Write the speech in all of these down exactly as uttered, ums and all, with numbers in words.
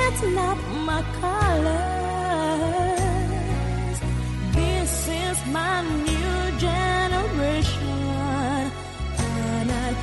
That's not my colors. This is my new generation. Canal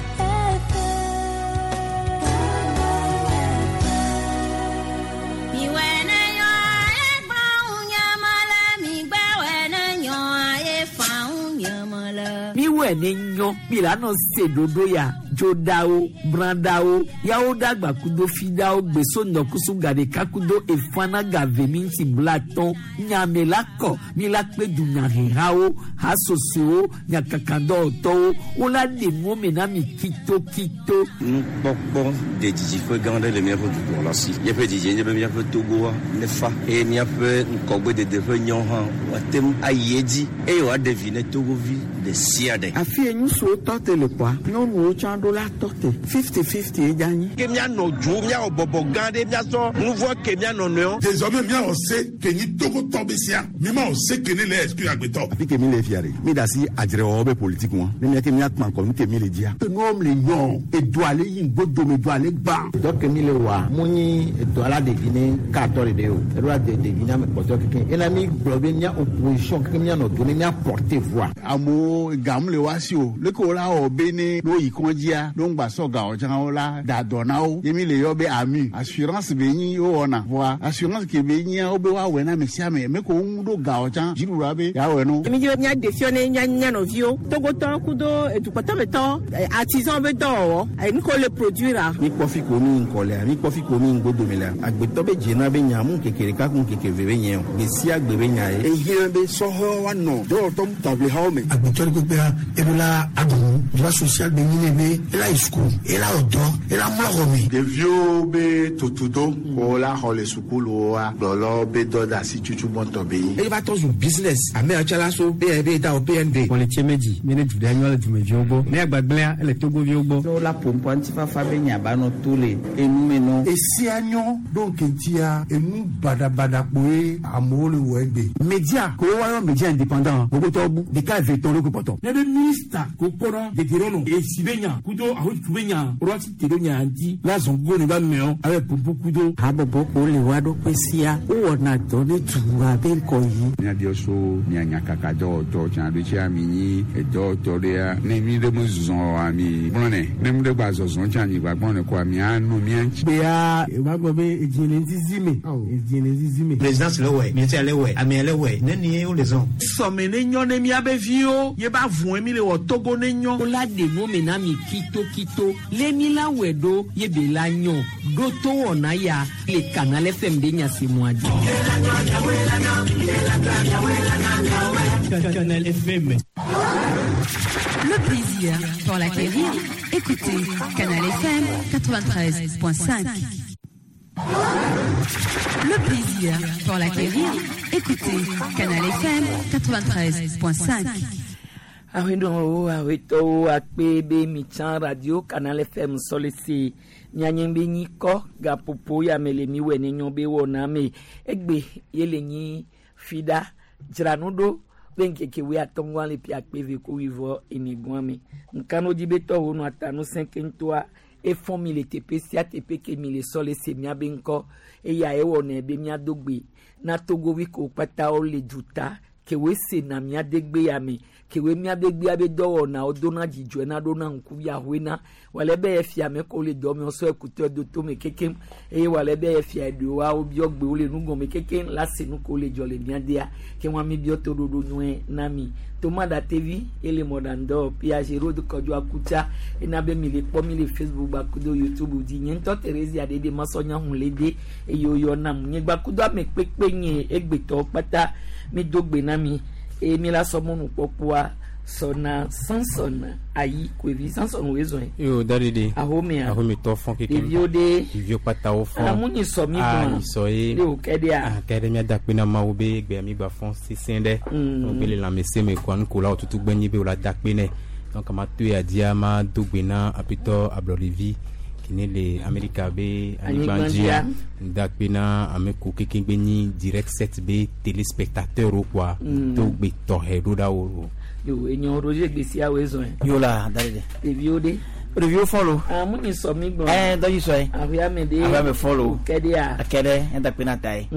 Miwɛ ne nyɔ mi la nɔ se ɖoɖo ya dzoɖawo brãɖawo yawo ɖagba kudo fiɖawo gbeso ŋdɔkusu gaɖeka kudo efana gave mi ŋuti blatɔn nyame la kɔ mi la kpe dunyahehawo hasosowo nyakakadɔwɔtɔwo wola ɖe nuwo me na mi kitokito. Nukpɔkpɔ de didiƒe gã aɖe le míaƒe dukplɔla si. Míaƒe didie nye be míaƒe Togoa nefa eye míaƒe ŋgɔgbedede ƒe nyawo hã woate ŋu ayi edzi eye wòaɖe vi ne Togovi ɖe sia ɖe. Afi ye ŋutsuwo tɔ te le kpɔa, nyɔnuwo tsã ɖo la tɔ te fifty fifty ye dza nyi. Ke míanɔ dzo, míawɔ bɔbɔ gã ɖe, míasɔ nu vɔ ke míanɔ nɔewo. Désormais míawɔ se ke nyi Togotɔ be sia, mímawɔ se ke ne le exclure agbetɔ. Afi ke mi le fia ɖe, mi da asi adzrewɔwɔ be politique ŋua, ne míake míakpã ŋkɔ nu ke mi le dzia. Enuwo le yɔ, edo ale yi ŋgbodome, edo ale gbã. Dɔ ke mi le wɔa, mu nyi edo ala ɖevi ne katɔ ɖeɖe o, eɖo la de ɖevi ne ame kpɔtɔ keke. Ena mi gblɔ be mía opposition keke míanɔ do ne mía porter voix. Amewo gam le wa si o, leke wo la wɔ be ne no yi kɔndzia, no ŋgba sɔ gawo tsã wo la da dɔ na wo. Ye mi le yɔ be ami, assurance be nyi wo wɔna. Voa assurance ke be nyia wo be woawɔe na ame sia ame, me ko wo ŋu ɖo gawo tsã, dziɖuɖua be yeawɔe no. Mi dzi be míaɖe fia ne mía mía nɔviwo, Togotɔwo kudo edukpɔtɔmetɔ, artisan be dɔwɔwɔ, nu ke wole produire. Mi kpɔ fi ko mi ŋkɔ lea, mi kpɔ fi ko mi ŋgbodome lea, agbetɔ be dzena be nya mu ŋkeke ɖeka ku ŋkeke eve be nye o, gbe sia gbe be nya ye. Ehiã be sɔhɛwo woanɔ dɔwɔtɔ taʋlihawo me. Agbetɔ ɖe kpekpea, eɖo la aɖu nu, droit social be nyi ne be ela yi suku, ela wɔ dɔ, ela mlɔ xɔ me. Ɖeviwo be tutudo ko la xɔ le sukuluwoa, gblɔlɔ be dɔ de asi tutu gbɔtɔ be nyi. Eye va tɔ zu business, ame yawo tsã la so B N B da o B N B. Kpɔlitse medzi, mi ne du ɖe nyɔ le dumeviwo gbɔ, ne agbagblẽa ele Togoviwo gbɔ. Ne wola ƒoƒoa ŋutifafa be nya ba nɔ to le enume nɔ. Esia nyɔ ɖo ŋkeŋtia enu baɖabaɖa kpoe amewo le wɔ egbe. Media ko woayɔ media indépendant gbogbotɔwo bu ɖeka eve tɔn ɖo kpɔtɔ. Ne be minista ko kpɔnɔ dedienɔnɔ esi be nya kudo ahotu be nya woɖo asi te ɖo nya ŋuti la zɔn go ne ba mɛɔ abe ƒoƒo kudo. Habɔbɔ ko le wa ɖokui sia wowɔna dɔ ne dua be ŋkɔ yi. Míabiɔ so mía nyakaka dɔwɔtɔ tsã ɖo tsia mi nyi edɔwɔtɔ ɖea ne mi ɖe me zɔzɔ oa mi gblɔnɛ ne mi ɖe gba zɔzɔ tsã mi gba gblɔnɛ koa mianɔ mía ŋuti. Gbea eva gblɔ be edzi le zizi me, edzi le zizi me. Présidence le wɔe, ministère le wɔe, amea le wɔe, ne nie wo le zɔn. Sɔme ne nyɔ ne míabe viwo, ye ba vɔe mi le wɔ Togo ne nyɔ. Wola ɖe nuwo me na mi kitokito, le mi la wɔe ɖo ye be la nyɔ, ɖo to wɔna ya le Canal F M be nya se mɔa dzi. Canal F M. Le plaisir pour l'acquérir, écoutez Canal F M quatre-vingt-treize point cinq. Le plaisir pour l'acquérir, écoutez Canal F M quatre-vingt-treize point cinq. Ahueɖowo ahuetɔwo akpe be mitsã radio Canal F M sɔlese mianye be nyi kɔ gaƒoƒo ya me le miwɔe ne nyɔ be wɔna me egbe ye le nyi fiɖa dzra nu ɖo be ŋkeke wui atɔ̃ le pia akpe eve ko wuievɔ ene gɔa me ŋkano dzi be tɔwo nɔ ata nusẽ ke ŋutɔa efɔ mi le teƒe sia teƒe ke mi le sɔlese miabe ŋkɔ eya ewɔnɛ be miado gbe na Togovi ko kpatawo le duta ke woe sena miadegbe ya me ke woe miadegbea be dɔwɔnawo dona dzidzɔe na ɖona ŋkuvi ahoe na wòle be efia me ko le dɔ me wosɔ ekutɔ do tome kekem eye wòle be efia eɖewoa wobiɔ gbewo le nugɔme kekem la se nu ko le dzɔ le miadea ke wɔn mi biɔ toɖoɖo nyuie na mi Toma Datevi ele mɔɖaŋdɔ Piaget Road Kɔdzo Akutsa ena be mi le kpɔ mi le Facebook gbakudo YouTube dzi nye ŋutɔ Theresia ɖeɖe masɔnya ŋu le de eye woyɔ nam nye gbakudo ame kpekpe nye egbetɔwo kpata mi do gbe na mi eye mi la sɔ mɔnukpɔkpɔa sɔna Samson ayi koevi Samson woe zɔe. Yo dadede. Ahomea. Ahometɔ fɔn keke. Ɖeviwo ɖe. Ɖeviwo kpata wo fɔn. Amu nyi sɔ mi gbɔn. Ah nyi sɔ ye. Ne o kɛ ɖea. Ah kɛ ɖe mía da kpe na Mawu be egbea mi gba fɔn sesẽ ɖe. Mm. Wo be le lãmesẽ me kɔa nukolawo tutu gbe nyi be wo la da kpe nɛ. Donc ma to ya dzia ma do gbe na aƒetɔ ablɔɖevi kene le Amerika be anyigba dzia. Da kpe na ame ko keke gbe nyi direct set be téléspectateur wo kɔa. Mm. To gbe tɔxɛ ɖo ɖa wo. Yo enyo Roger gbesia woe zɔe. Yo la dadede. Ɖeviwo ɖe. Ɖeviwo fɔ lo. Ah, mu nyi sɔ mi gbɔ. Ɛ dɔdzi sɔe. Aƒea me de. Aƒea me fɔ lo. Kɛ de ya. Kɛ ɖe ɛda kpe na ta ye.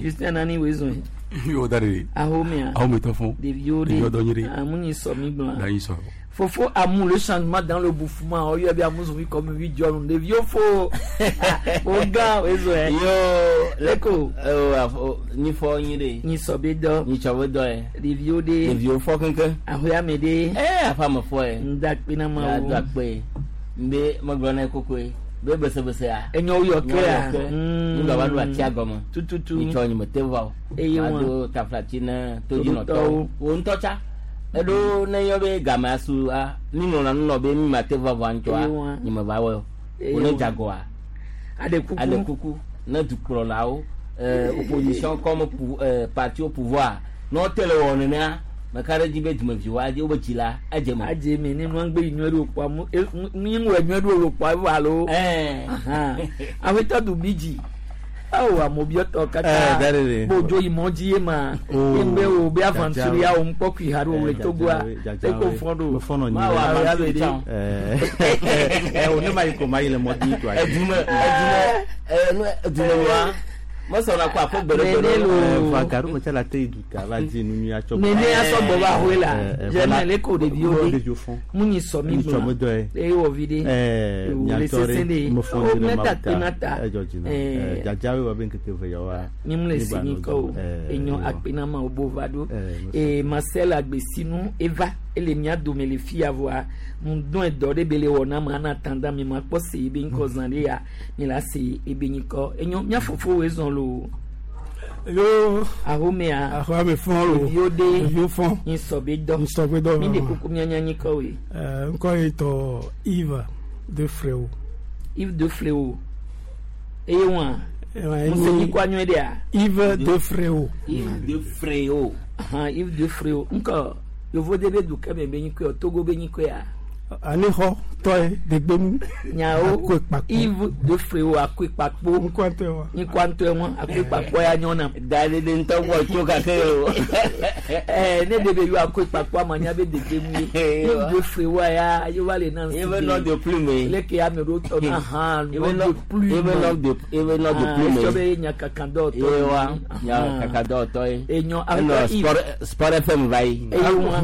Justin nani wo zɔn. Yo da de. Ahomea. Ahome tɔ fɔn. Ɖeviwo de. Ɖeviwo dɔ nyi de. Ah, mu nyi sɔ mi gbɔ. Da nyi sɔ. Fofo amu le changement dans le bouffement. Oyo bi amu zɔn comme huit jɔn. Ɖeviwo fo. O gã o zɔn. Yo leko. O nyi fɔ nyi de. Nyi sɔ be dɔ. Nyi sɔ be dɔ ye. Ɖeviwo de. Ɖeviwo fɔ keŋkeŋ. Aƒea me de. Ɛ aƒea me fɔ ye. Ŋda kpe na ma wo. Ŋda kpe. Nbe megblɔ na kokoe. Be besebesea. Enyo yɔ ke ya. Ŋgɔ va ɖo atia gɔme. Tututu. Nyitsɔ nyime te va o. Eye wa. Ado taflatsi ne todzinɔtɔwo. Wo ŋutɔ tsa. Eɖo ne yɔ be game asu a mi ŋlɔna nu nɔ be mi ma te va vɔa ŋutsɔa nyime va wɔ o. Wo ne dzagɔa. Aɖe kuku. Aɖe kuku ne dukplɔlawo ɛɛ opposition comme pou ɛɛ parti au pouvoir ne wote le wɔ nenea. Meka ɖe dzi be dumeviwo adze wobe dzi la adze me. Adze me ne nua ŋgbe yi nyuie ɖo kpɔa mu mi ŋlɔ nyuie ɖo kpɔa evɔ alo. Aƒetɔ du bi dzi. Awo amobiɔtɔ kata bodzo yi mɔ dzi ye ma. Ye ŋgbe wo be aventure ya wo ŋkpɔ kui ha ɖo wo le Togoa. Eko fɔ ɖo. Ma wo aventure tsã. Ɛ o ne ma yi ko ma yi le mɔ dzi toa. Edume edume ɛ edume nua. Mɔsɔna kɔ afɔ gbɛɖɛgbɛɖɛ. Fa garu me tsa la te yi duta va di nu nyui atsɔ. Nene asɔ gbɔ va hoe la. Jɛnɛ le ko ɖeviwo de. Mu nyi sɔ mi gblɔ. Mu dɔ ye. Eye wɔ vi de. Ɛɛ miatɔ ɖe me fɔn o di mɛ ma ta te na ta. Ɛdzɔ dzi na. Dzadzawoe wɔ be ŋkeke eve yawoa. Mi mu le si nyi kɔ o. Enyɔ akpe na ma wo bo va ɖo. Ee Marcel Agbesinu eva ele mia dome le fia vɔa ŋdɔn dɔ ɖe be le wɔ na ma ana tanda mi ma kpɔ se ebe ŋkɔ zã ɖe ya mi la se ebe nyikɔ enyo mia fofowoe zɔn lo. Yo. Ahomea. Ahome fɔn lo. Ɖeviwo de. Ɖeviwo fɔn. Nyisɔ be dɔ. Nyisɔ be dɔ. Mi de kuku mia nya nyikɔ woe. Ɛɛ ŋkɔ ye tɔ Yves de Fréo. Yves de Fréo. Eye wa. Muse nyikɔ anyɔe ɖea. Yves de Fréo. Yves de Fréo. Ahan Yves de Fréo ŋkɔ yovo de be du kɛmɛ be nyikɔ Togo be nyikɔ ya. Anixɔ tɔye degbenu. Nyawo Yves de Fréo akoe kpakpo. Ŋkɔ ŋutɔe wa. Ŋkɔ ŋutɔe wa akoe kpakpo ya nyɔna. Da de de ŋutɔ gbɔ tso gake o. Ɛɛ ne de be yɔ akoe kpakpo ama nya be degbenu ye. Yves de Fréo ya yewa le na. Ebe nɔ de plume. Leke ame ɖewo tɔ na hã nɔ de plume. Ebe nɔ de ebe nɔ de plume. Esɔ be nyakaka dɔwɔtɔ. Ye wa nyakaka dɔwɔtɔ ye. Enyɔ Enɔ sport sport F M va yi. Eye wa.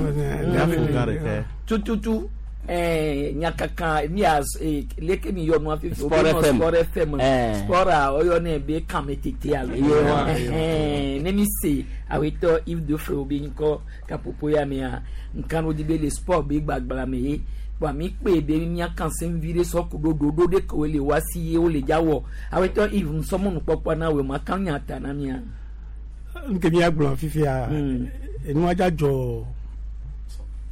Tututu. Eh, nyakaka mi a eh, leke mi yɔ nua fifi Sport F M Sport F M sport a ɔyɔ ne be kame tete alo eh, ne mi se awetɔ Yves de Fréo be ŋkɔ kapopo ya mea nkanu di be le sport be gbagbla me ye kpɔ mi kpe be mia kanse vi ɖe sɔ ku ɖo ɖoɖo ɖe ke le wa si ye wo le dza wɔ awetɔ Yves nsɔmɔnu kpɔkpɔ na wo ma kan nya ta na mia. Nke mi agblɔ fifia enua dza dzɔ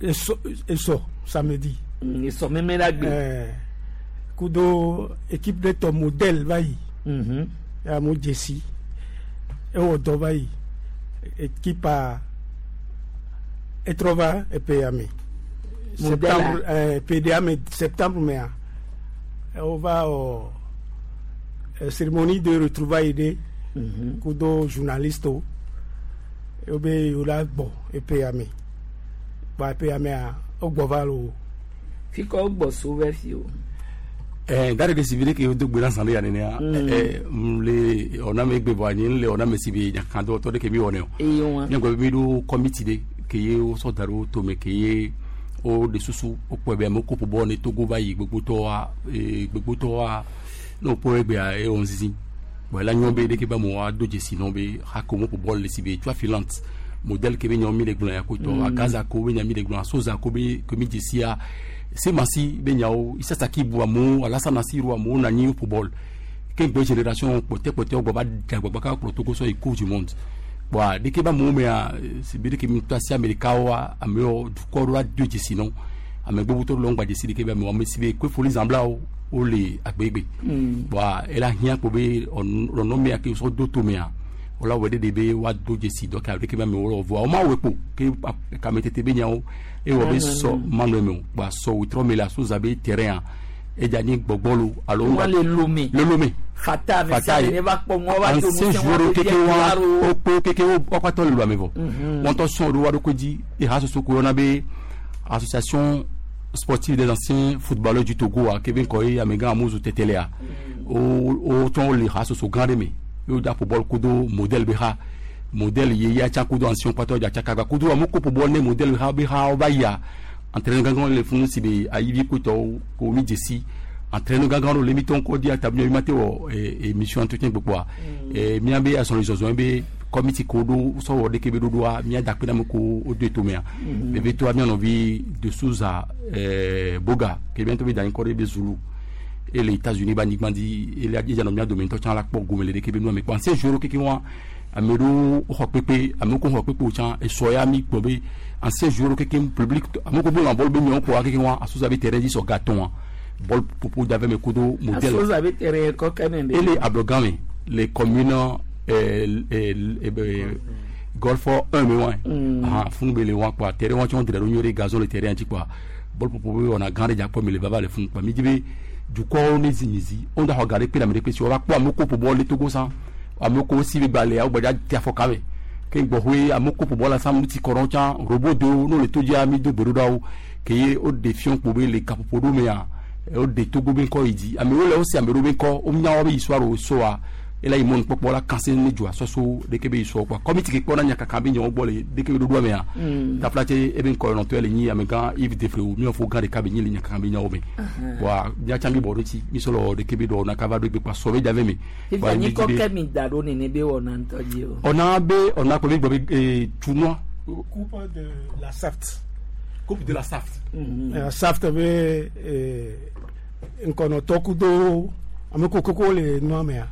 esɔ esɔ samedi. Esɔ mɛmɛ la gbe. Kudo équipe de tɔ modèle va yi. Ya mo dzesi ewɔ dɔ va yi équipe a etrɔ va epe ya me. Septembre ɛɛ P D A me septembre mea wova wɔ cérémonie de retrouvailles ɖe kudo journaliste wo wobe yewo la gbɔ epe ya me kpa epe ya mea wogbɔ va lo. Fikɔ gbɔ so vɛ fi o. Eh, gare de sibiri ke do gbera sanu ya nenea eh mle ona me gbe bo anyi le ona me sibi nya kan do to de ke mi wone o nya gbe mi do committee de ke ye o so daro to me ke ye o de susu o po be mo ko po bo ne Togo ba yi gbogbo to wa e gbogbo to wa no po egbe a e on zizi bo la nyon be de ke ba mo wa do jesi no be ha ko mo po bo le sibi tu afilante modèle ke be nyon mi le gbon ya ko to a Gaza ko be nya mi le gbon soza ko be ko mi jesi a se masi be nyawo isasa ki bu amu alasa nasiru amu na ni football ke gbe génération pote pote ogbo ba dagba ka pro Togo so e coupe du monde bo de ke ba mu me a se bi de ke mi to si America wa ame o du ko ra de jesi non ame gbogbo to lo ngba jesi de ke ba mi wa me si be ko foli zambla o o le agbegbe bo ela hian ko be on no me a ke so do to me a ola wede de be wa do jesi do ka de ke ba mi wo vo o ma we po ke ka me tete be nyawo e wo be so manu me ba so witro me la so zabe terrain e jani gbogbolo alo wa le lomé le lomé fata me se ne va po mo wa to mo se wa ke ke wa o po ke ke o pa to le lo me vo won to son ro wa do koji e ha so so ko na be association sportive des anciens footballeurs du Togo a kebe ŋkɔ ye amegã Amuzu Tetelea wo wo tsɔ le ha soso gã ɖe me ye wo dza ƒo bɔl kudo modèle be ha modèle ye ya tsã kudo ancien kpatɔ dza tsaka gba kudo amewo ko ƒo bɔl ne modèle ha be ha va yia entraîneur gãgã le funu si be ayivi kotɔwo ko mi dzesi entraîneur gãgã ɖewo le mi tɔ ŋkɔ di atabi mi ma te wɔ émission entretien gbogboa miabe azɔli zɔzɔ be comité ko ɖo sɔwɔ ɖeke be ɖoɖoa mía da kpe na ame ko wo do etomea veve toa mía nɔvi de Souza ɛɛ Boga ke mía ŋutɔ be da anyi kɔ ɖe be Zulu ele États-Unis be anyigba dzi ele edza nɔ mía dome ŋutɔ tsã la kpɔ gome le ɖeke be nua me kpɔ ancien joueur keke wa ame ɖewo xɔ kpekpe amewo ko xɔ kpekpe o tsã esɔ ya mi gblɔ be ancien joueur keke public amewo ko bolo bɔl be nyawo kɔ keke wa Asuza be terrain dzi sɔ gatɔn bɔl popo da vɛ me kudo modèle Asuza be terrain kɔ kɛmɛ be ele ablɔgã me les communes euh, euh, euh, golf un me wa ah funu be le wa quoi terrain wa tsɔn dre ɖo nyuie gazon le terrain dzi quoi bɔl popo be wɔna gã ɖe dza kpɔ me le vava le funu quoi mi dzi be dukɔwo ne zi mi zi wo da xɔ ga ɖe kpe le ame ɖe kpe si wova kpɔ amewo ko ƒo bɔl le Togo san amewo ko si be gbalẽa wo gbadza te afɔ kame ke gbɔxɔe amewo ko ƒo bɔl la san nu ti kɔ ɖe tsã robo do n'o le to dzia mi do gbe ɖo ɖa wo ke ye wo ɖe fiɔ kpo be le kaƒoƒo ɖo mea wo ɖe Togo be ŋkɔ yi dzi amewo le wo si ame ɖewo be ŋkɔ wo nya wo be histoire wo soa ela yi mɔnu kpɔkpɔ la kanse ne dzɔa sɔso ɖeke be histoire kpɔ kɔmiti ke kpɔna nyakaka be nyawo gbɔ le ɖeke be ɖoɖoa mea tafla tse ebe ŋkɔ nɔtɔ le nyi amegã Yves Defre mi fo gã ɖeka be nyi le nyakaka be nyawo me wa miatsa mi bɔ ɖo tsi mi sɔ lɔ ɖeke be ɖɔ na kava ɖo egbe kpa sɔ be dza ve me. Fifia nyi kɔ kɛ mi da ɖo nene be wɔna ŋutɔ dzi o. Ɔna be ɔna kpe be gbɔ be ee tunua. Coupe de la SAFT. Coupe de la SAFT. La SAFT be ŋkɔnɔtɔ kudo ame kokoko le nua mea.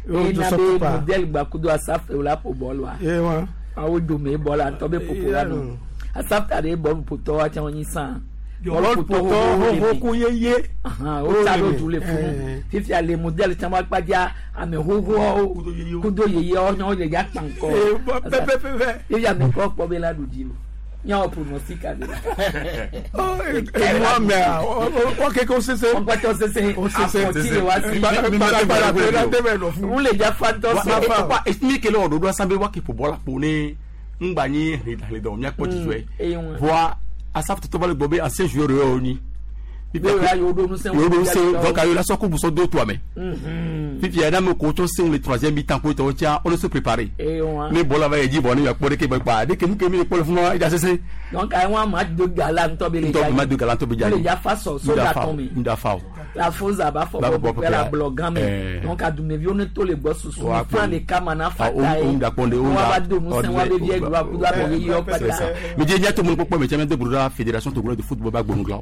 Ena be modèle gba kudo Asaf la ƒo bɔl wa. Ye wa. Awo dome bɔl la ŋutɔ be ƒoƒo la nɔ. Asaf ta ɖe bɔl ƒotɔ wa tsã wonyi sã. Bɔl ƒotɔ xoxo ku yeye. O tsa ɖo du le funu. Fifia le modèle tsã wa kpadza ame xoxoawo kudo yeyewo nyɔ le dza kpa ŋkɔ. Pɛpɛpɛpɛ. Fifia ame kɔ kpɔ be la ɖu dzi o. Miawo pronostic ade. Enua mea wa keke o sese. Wɔn kpɛtɛ o sese. O sese. Afɔti le wa si. Gbalagbala pe la dɛmɛ lɔ fún. N le dza fa ŋutɔ se. Esimi kele wɔ ɖoɖoa san be wa ke ƒo bɔl la kpo ne ŋgba nyi hlidɔ miakpɔ dzidzɔe. Voa Asaf tɔtɔ va le gbɔ be ancien joueur yɔ nyi. Yewo ɖo ŋusẽ. Yewo ɖo ŋusẽ donc ayo la sɔ kubu sɔ do toa me. Fifia yɛrɛ ame ko tsɔ seŋ le troisième mi-temps ko tɔwo tia wo ne se préparer. Ne bɔl la va yi dzi bɔ ne yakpɔ ɖeke bɛ kpa ɖeke nu ke mi le kpɔ le funu edza sese. Donc ayi wɔn ma do gala ŋutɔ be le dza yi. Ŋutɔ ma do gala ŋutɔ be dza yi. Le dza fa sɔ so da tɔn mi. Ŋda fa o. La foza b'a fɔ bɔ bɔ la blɔ gan mɛ. Donc adumeviwo ne to le gbɔ susu ni fan de kama na fa ta ye. Wa ba do ŋusẽ wa be vie gba kudo abɔ ye yɔ kpata. Mi dze nya to mu kpɔkpɔ mɛ tsɛ mi de bolo la fédération togolaise de football ba gbɔnu glan.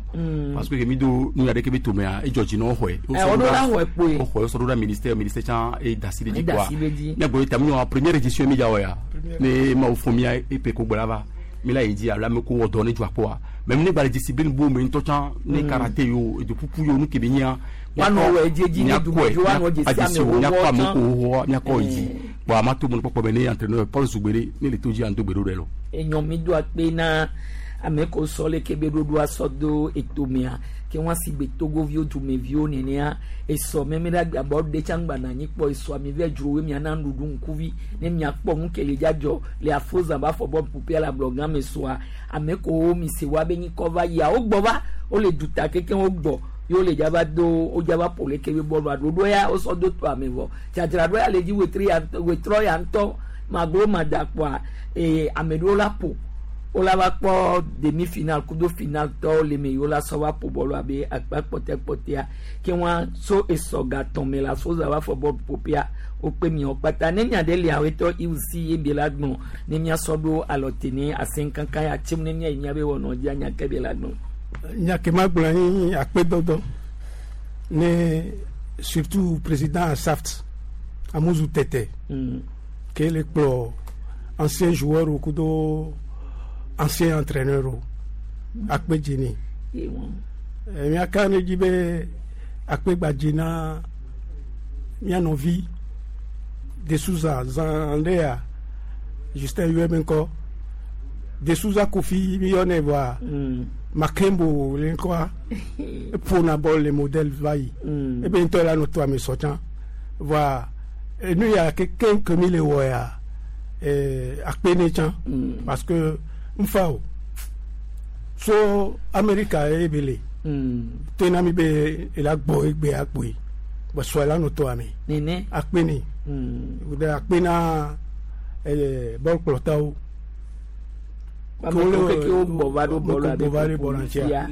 Parce que mi do nu ya ɖeke be tomea edzɔ dzi na wo xɔe. Ɛ wo ɖo la xɔe kpoe. Wo xɔe sɔ ɖo ɖa ministère ministère tsã e da si ɖe dzi E da si ɖe dzi. Miagbɔ ta mi wɔ première édition mi dza wɔ ya. Ne mawu fɔ mia epe ko gbɔ la va. Mi la yi dzi alo ame ko wɔ dɔ ne dzɔ akpɔa. Mais mi ne gba le discipline bo me ŋutɔ tsã ne karaté yo edoƒuƒu yo nu ke be nyia. Woanɔ wɔ edzi edzi ne dumeviwo woanɔ dzesi ame miakɔ xoxowo ame tsã. ko xoxoa miakɔ yi dzi. Bon ama to mɔnu kpɔkpɔ be ne entraîneur Paul Zugbere ne le to dzi ando gbe ɖo ɖe lɔ. Enyɔ mi do akpe na ame ko sɔ le ke be ɖoɖoa sɔ do etomea ke wɔn si gbe togoviwo dumeviwo nenea esɔ mɛmɛ ɖe agbabɔ ɖe tsã gbana anyi kpɔ esɔ ami vɛ dzro wo miana nuɖuɖu ŋkuvi ne miakpɔ nu ke le dzadzɔ le afoza ba fɔ bɔ ƒoƒea le ablɔgã me sɔa ame ko mi se wa be nyikɔ va yia wo gbɔ va wo le duta keke wo gbɔ ye wo le dzava do wo dzava ƒo leke be bɔlua ɖoɖo ya wosɔ do to ame vɔ dzadzraɖo ya le dzi wetri ya wetrɔ ya ŋutɔ maglo madakpoa ee ame ɖewo la ƒo wola va kpɔ demi final kudo final tɔwo le me yi wola sɔ va ƒo bɔlu abe akpa kpɔtɛkpɔtɛa ke wɔn so esɔ gatɔn me la so za va fɔ bɔlu ƒoƒea wokpe miawo kpata ne mia ɖe lia wetɔ iwusi ebe la gblɔ ne miasɔ ɖo alɔte ne asɛnkankan ya tsim ne mia yi mia be wɔnɔ dzi anya ke be la gblɔ. Nya ke ma gblɔ nyi akpedɔdɔ ne surtout président SAFT Amuzu Tete Mm. ke le kplɔ ancien joueur wo kudo ancien entraîneur wo akpe dzi ni. Ye wɔn. Eh, miaka ne dzi be akpe gbadzi na mia nɔvi de Souza zan ɖe ya Justin yɔe be ŋkɔ de Souza Kofi mi yɔnɛ vɔa Mm. Makembo le ŋkɔa eƒona bɔl le modèle va yi Mm. ebe ŋutɔ la nɔ to ame sɔ tsã vɔa enu ya kekeŋ ke mi le wɔ ya eh, akpe ne tsã Mm. parce que nfa o So Amerika ye be le. Tena mi be ela gbɔ egbe akpoe. Bɔsɔ la nɔ tɔ ame. Nene. Akpe ni. O de akpe na ɛɛ bɔlukplɔtawo. Ame keke wo gbɔ va ɖo bɔlu abe gbɔ va ɖo bɔlu tia.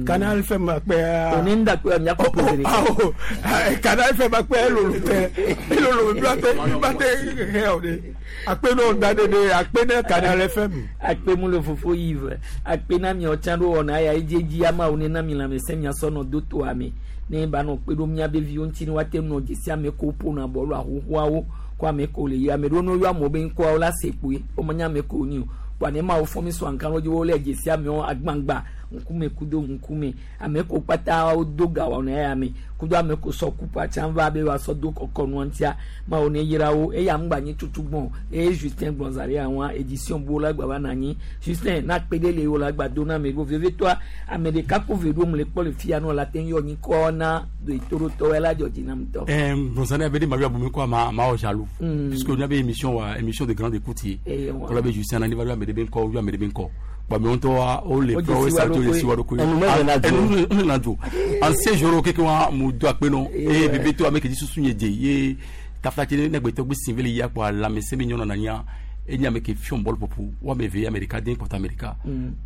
Canal F M akpe. Oni ń dàgbé ọ̀nyà kò pèsè ní. Canal F M akpe elolo tẹ elolo bí wọ́n tẹ bí wọ́n tẹ hẹ́ ọ̀ de akpe náà da de de akpe náà Canal F M. Akpe mu le fofo Yves akpe na mi ọ̀tsán ɖo wɔna ya edzi ama wo ne na mi lãmesẽ mia sɔnɔ do to ame ne ba nɔ kpe ɖo miabe viwo ŋuti ne woate nɔ dzesi ame ko ƒona bɔlu ahohoawo ko ame ko le yi ame ɖewo ne woyɔ amewo be ŋkɔawo la se kpoe womenya ame ko nyi o kpoa ne ma wo fɔ mi sɔ aŋka wo dzi wo le dzesi amewo agbangba ŋkume kudo ŋkume ame ko kpata wo do ga wɔna ya me kudo ame ko sɔ kupa tsã va be woasɔ do kɔkɔ nua ŋutia ma wo ne yra wo eya ŋgba nyi tutu gbɔn eye Justin Gbɔnzari àwọn édition bo la gba va na anyi Justin na kpe ɖe le wo la gba do na ame ɖo vevitɔa ame ɖeka ko ve ɖo mu le kpɔ le fia nɔ la te yɔ nyi kɔ na do etoroɖotɔwo la dzɔ dzi na ŋutɔ. Ɛɛ Gbɔnzari abe de ma yɔ abomi ko ma ma wɔ jaloux puisque n'y avait émission wa émission de grande écoute ye kɔlɔ bɛ Justin na ni va yɔ ame ɖe be ŋkɔ yɔ ame ɖe be ŋkɔ. Bamiyontɔ o le fɛ o sa to le siwa do ko ye enu na do ancien joueur keke wa mu do akpe nɔ eye bebe to ame ke dzi susu nye dze ye taflatse ne gbetɔ gbe sin vele ya kpɔ lãmesẽ be nyɔnɔ nanya enye ame ke fiɔn bɔl ƒoƒo wo ame eve Amerika den kɔtɔ Amerika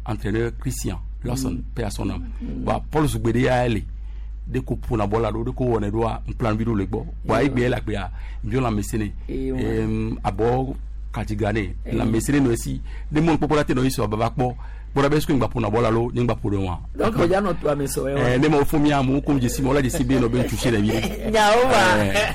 entraîneur Christian Lawson paix à son âme ba Paul Zugbede ya le de ko ƒona bɔl la ɖo de ko wɔnɛ ɖoa ŋplan vi ɖo le gbɔ wa egbe la gbea nbio lãmesẽ ne abɔ katigane lãmesẽ ne nɔ esi ne mɔnu kpɔkpɔ la te nɔ yi sɔ baba kpɔ kpɔɖa be sukuu ŋgba ƒona bɔl la lo ne ŋgba ƒo ɖe wa. Donc o ya nɔ to ame sɔ ye wa. Ɛɛ ne ma wo fo mi amewo ko dzesi ma wo la dzesi be nɔ be ŋutsu si le vi. Nyawo ma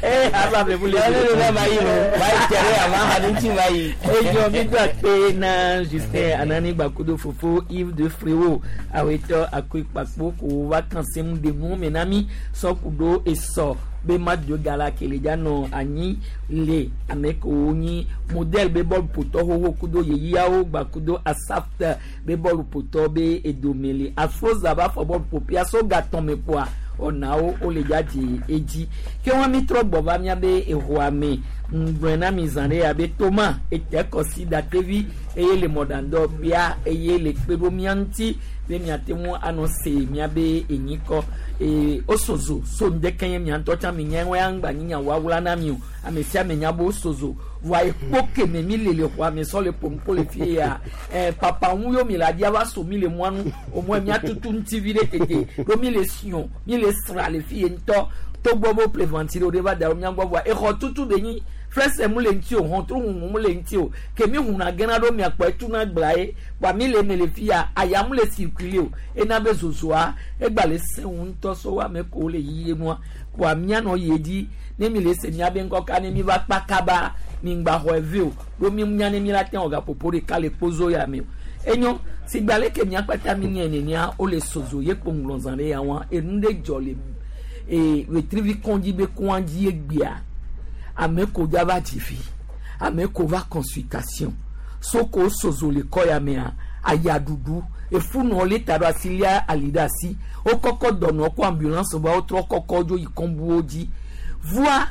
ee aba be mu le. Ne ne ma yi o ma yi tɛrɛ a ma ha ni ti ma yi. Edzɔ mi do akpe na Justin Anani Gbakudo fofo Yves de Fréro awetɔ akoe kpakpo ko va kan se mu de nu me na mi sɔku ɖo esɔ be ma do gala kele dza nɔ anyi le ame kewo nyi modèle be bɔlu ƒotɔ xoxo kudo yeyiawo gbakudo asaft be bɔlu ƒotɔ be edome le afroza ba fɔ bɔlu ƒoƒea so gatɔn me kpoa ɔnawo wole dza dzi edzi ke wɔn mi trɔ gbɔ va miabe exɔa me ŋgblɔe na mi zã ɖe abe toma ete kɔsi datevi eye le mɔɖaŋdɔ bia eye le kpe ɖo mia ŋuti be miate ŋu anɔ se miabe enyikɔ ee osozo so ŋdeke nye mia ŋutɔ tsã mi nya ya ŋgba nyi nya woawla na mi o ame sia ame nya be osozo voa ekpo keme mi le le xɔa me sɔ le ƒom le fie ya ɛɛ papa ŋu yo mi le adia va so mi le mɔa nu o mɔ mia tutu ŋuti vi ɖe tete ɖo mi le siɔ mi le sra le fie ŋutɔ togbɔ be ƒle ventilo ɖe va da ɖo mia gbɔ voa exɔ tutu be nyi flɛsɛ mu le ŋuti o hɔntru huhu mu le ŋuti o kemi huna gena ɖo miakpɔ etuna gblã ye kpa mi le me le fia aya mu le circuler o ena be zozoa egba le sẽŋu ŋutɔ so wa ame ko le yiyie nua kpoa mianɔ yie dzi ne mi le se miabe ŋkɔ ka ne mi va kpa kaba mi ŋgba xɔ eve o ɖo mi nya ne mi la te wɔ gaƒoƒo ɖeka le kpozo ya me o enyo sigba leke miakpata mi nye nenea wole sozo ye kpo ŋlɔ zã ɖe ya wa enu ɖe dzɔ le ee wetrivi kɔndzi be kɔndzi egbea ame ko dza va dzi vi ame ko va consultation soko sozo le kɔ ya mea ayaɖuɖu efunɔ le ta ɖo asi lia ali ɖe asi wokɔkɔ dɔnɔ ko ambulance va wotrɔ kɔkɔ dzo yi kɔnbuwo dzi voa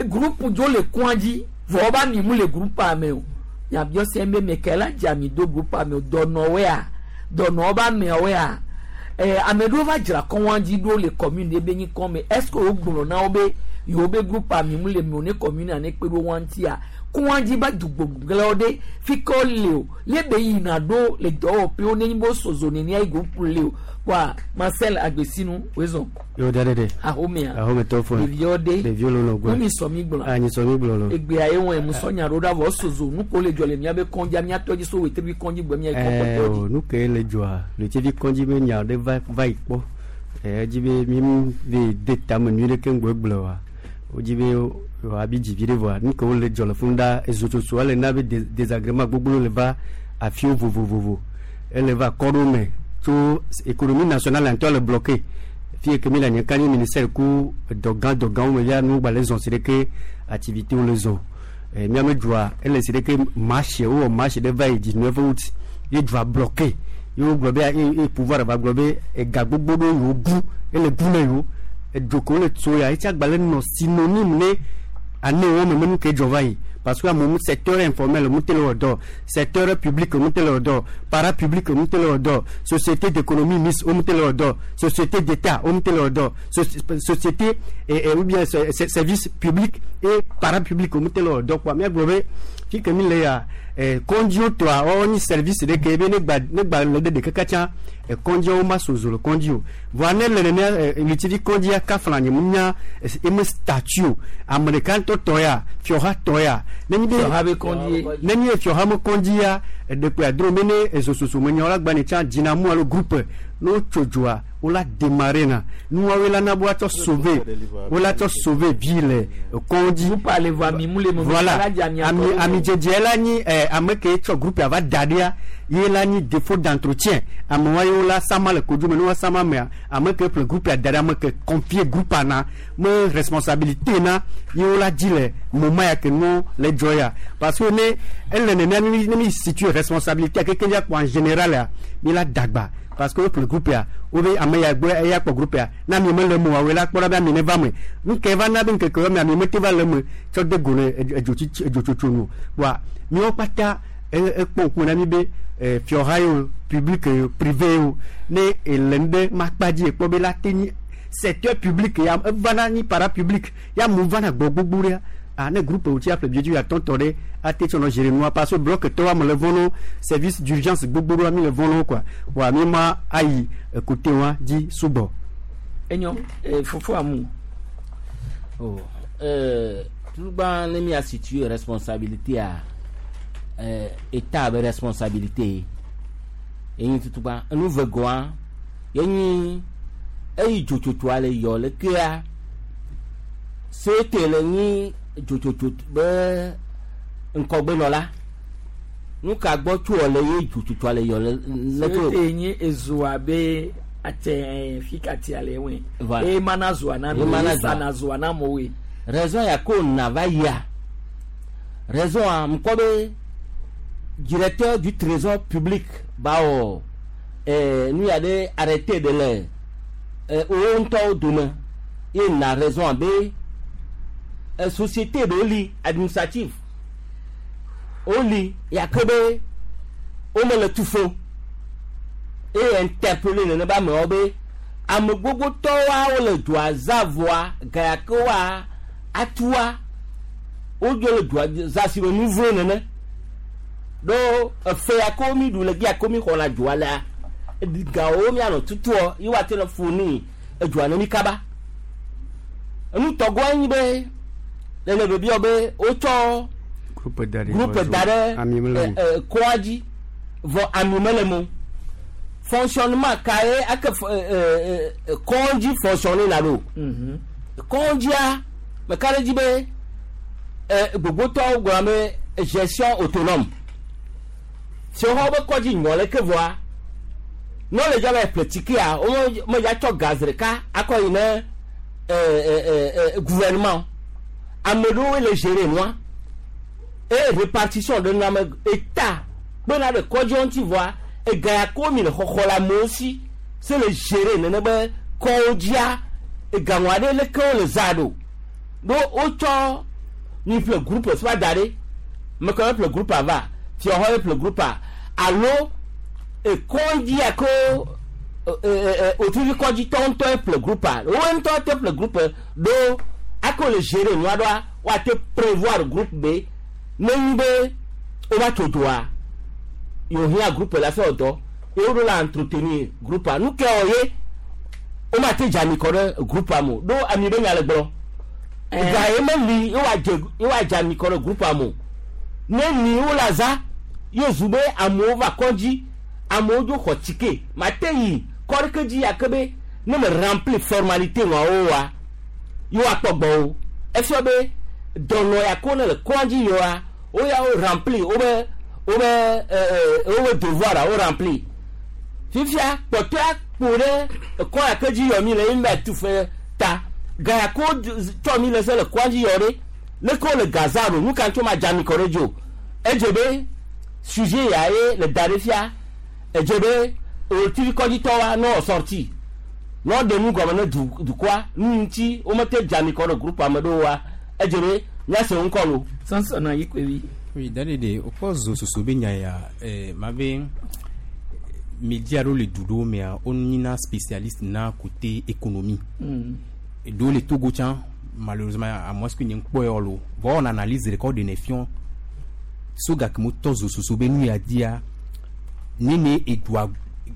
groupe dzo le kɔa dzi vɔ woba mi mu le groupea me o nyabiɔ se be meke la dze ami do groupea me o dɔnɔwoea dɔnɔwo ba ameawoea ɛɛ ame ɖewo va dzra kɔn dzi ɖo le commune ɖe be nyi kɔn me est ce que wogblɔ na wo be yewo be groupea mi mu le me o ne commune ne kpe ɖo wa ŋutia kɔn dzi ba dugbogblẽwo ɖe fi ke wole o le be yina ɖo le dɔwɔƒewo ne nyi be wosozo nenia yi groupe le o kpoa Marcel Agbesinu wezɔn. Yo da de. Ahomea. Ahome tɔ fɔ. Ɖeviwo ɖe. Ɖeviwo lolo gbɔ. Nu mi sɔ mi gblɔ. A nyi sɔ mi gblɔ lo. Egbea ye wɔn mu sɔ nya ɖo ɖa vɔ sozo nu ko le dzɔ le miabe kɔndzi miatɔ dzi so wetrevi kɔndzi gbɔ mia yi kɔkɔtɔ dzi. Ɛɛ nu ke le dzɔa wetrevi kɔndzi be nya ɖe va va yi kpɔ. Ɛɛ edzi be mi mu be de tame nyui ɖe keŋ gbɔ gblɔ wa. Wodzi be abi dzi vi ɖe vɔa nu ke wo le dzɔ le funu ɖa ezotsotso ele na be désagrément gbogbo le va afiwo vovovovo. Ele va kɔɖo me tso économie nationale ŋutɔ le bloqué. Fie ke mi le nye ka nye ministère ku dɔgã dɔgãwo me via nu gba le zɔn si ɖe ke activité wo le zɔn. Ɛ miame dua ele si ɖe ke marché wowɔ marché ɖe va yi dix-neuf août ye dua bloqué ye wogblɔ be ye pouvoir va gblɔ be ega gbogbo ɖewo yewo gu ele gu ne yewo edzo ke wole tso ya etsi agba le nɔ synonyme ne ane wo me menu ke dzɔ va yi Parce que amewo secteur informel mu te le wɔ dɔ, secteur public mu te le wɔ dɔ, parapublic mu te le wɔ dɔ, société d'économie mixte mu te le wɔ dɔ, société d'état mu te le wɔ dɔ, société et, et ou bien service public et parapublic mu te le wɔ dɔ quoi. Míagblɔ be fi ke mi le ya kɔndziwo tɔa wɔwɔ nyi service ɖe ke be ne gba ne gba le ɖe ɖeke katã kɔndziawo ma sozo le kɔndzi o. Voa ne le nenea ɣletivi kɔndzia kafla nye mu nya eme statut o. Ame ɖeka ŋutɔ tɔ ya, fiɔha tɔ ya. Ne nyi be ne nyi fiɔha me kɔndzia eɖekpe adro me ne ezososo me nyawo la gba ne tsã dzinamu alo groupe ne wotso dzoa wola démarrer na nuwawoe la na be woatsɔ sauver wola tsɔ sauver vie le kɔndzi. Voilà, ami amidzedze la nyi ɛ ame ke tsɔ groupe ava da ɖia ye la nyi défaut d'entretien amewa ye wola sama le kodzo me ne wa sama mea ame ke ƒle groupe da ɖe ame ke confier groupe na me responsabilité na ye wola dzi le moment ya ke nu le dzɔ ya parce que ne ele nenea ne mi situe responsabilité keke ya kpɔ en général ya mi la dagba parce que woƒle groupe ya wobe ame ya gbɔ eya kpɔ groupe ya na mi mele me oa woe la kpɔ ɖa be ami ne va me nu ke va na be ŋkeke me ami mete va le me tsɔ de go le edzotsi edzotsotso nu wa miwo kpata ekpɔ ŋkume na mi be fiɔha yi o public yi o privé yi o ne ele nu ɖe makpa dzi ekpɔ be la te nyi secteur public ya evana nyi parapublic ya mu vana gbɔ gbogbo ɖea ah ne groupe wo tsi aƒle biedzi atɔ tɔ ɖe ate tsɔ nɔ gérer nua parce que bloc tɔwa me le vɔ no service d'urgence gbogbo ɖoa mi le vɔ no quoi wa mi ma ayi côté wa dzi sugbɔ. Enyo fofo amu. Oh euh tugba ne mi a situé responsabilité a euh état be responsabilité enyi tutugba enu vegoa yenyi eyi dzotsotsoa le yɔ le kea sete le nyi dzotsotso be ŋkɔgbenɔla nu ka gbɔ tso le ye dzotsotsoa le yɔ le le tso. Sete nyi ezoa be atɛ fi ka tia le wɛ. E mana zoa na mi e sana zoa na mo we. Raison ya ko na va ya raison a ŋkɔ be directeur du trésor public bawo ɛɛ nu ya ɖe arrêté de le ɛɛ wo ŋutɔwo dome ye na raison be société ɖewo li administrative woli yake be womele tu fo eye interpellé nene be amewo be ame gbogbotɔwoa wole dua za vɔa ga yake woa atua wodzo le dua za si be nu vlo nene ɖo efe yake mi ɖu le gi yake mi xɔna dua lea gawo mianɔ tutuɔ ye woate le fourni edua ne mi kaba enutɔgɔa nyi be le bebiɔ be wotsɔ groupe da ɖe groupe da ɖe kɔa dzi vɔ ami mele mo fonctionnement ka ye ake kɔndzi fonctionner na ɖo kɔndzia meka ɖe dzi be gbogbotɔwo gblɔ be gestion autonome fiɔxɔ be kɔdzi nyɔ leke vɔa ne le dza be ƒle tikea wo me dza tsɔ gaz ɖeka akɔ yi ne gouvernement ame ɖewo le gérer nua et répartition de nua me état kpena ɖe kɔdzi ŋuti vɔa ega ya ko mi le xɔxɔ le amewo si se le gérer nene be kɔwo dzia egaŋua ɖe leke wo le za ɖo ɖo wotsɔ mi ƒle groupe si va da ɖe meke ƒle groupe ava fiɔxɔ ye ƒle groupe alo ekɔdzi ya ko otuvi kɔdzi tɔ ŋutɔ ye ƒle groupe wo ŋutɔ te ƒle groupe ɖo ako le gérer nua ɖoa woate prévoir groupe be ne nyi be wova tso dzoa yewo hiã groupe la fɛ dɔ ye wo ɖo la entretenir groupe nu ke wɔ ye wo ma te dze ami kɔ ɖe groupe me o ɖo ami be nya le gblɔ ga ye meli ye woadze ye woadze ami kɔ ɖe groupe me o ne ni wo la za ye zu be amewo va kɔdzi amewo dzo xɔ tike ma te yi kɔ ɖeke dzi yake be ne me remplir formalité ŋuawo wa ye woakpɔ gbɔwo efia be dɔnɔ ya ko ne le kɔdzi yɔa wo ya wo remplir wo be wo be ɛɛ wo be devoir wo remplir fifia kpɔtɔa kpo ɖe ekɔ ya ke dzi yɔ mi le ye mi ba tu fe ta ga ya ko tsɔ mi le se le kɔdzi yɔ ɖe leke wo le gaza ɖo nu ka tso ma dze ami kɔ ɖe dzi o edze be sujet ya ye le da ɖe fia edze be ɣletivi kɔdzitɔwoa ne wɔ sorti ne woɖe nu gɔme ne du dukɔa nu ŋuti womete dze ami kɔ ɖe groupe ame ɖewoa edze be míase ŋkɔ lo. Sansɔna yi kpevi. Oui, dale de o kpɔ zo soso be nya ya eh, ma be média ɖewo le du ɖewo mea wonyina spécialiste na côté économie. Mm. Ɖewo le Togo tsã malheureusement à moins que nye ŋkpɔ yɔ lo vɔ wɔna analyse ɖeka wo ɖenɛ fiɔ so gake mo tɔ zo soso be nu ya dia nene edua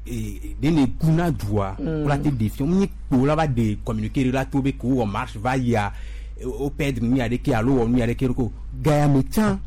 eh, nene guna dua Mm. wola te ɖe fiɔ nyi kpo la va de communiqué ɖe la to be ko wɔ marche va yia eh, wo perdre nu ya ɖeke alo wɔ nu ya ɖeke ko gaya me tsã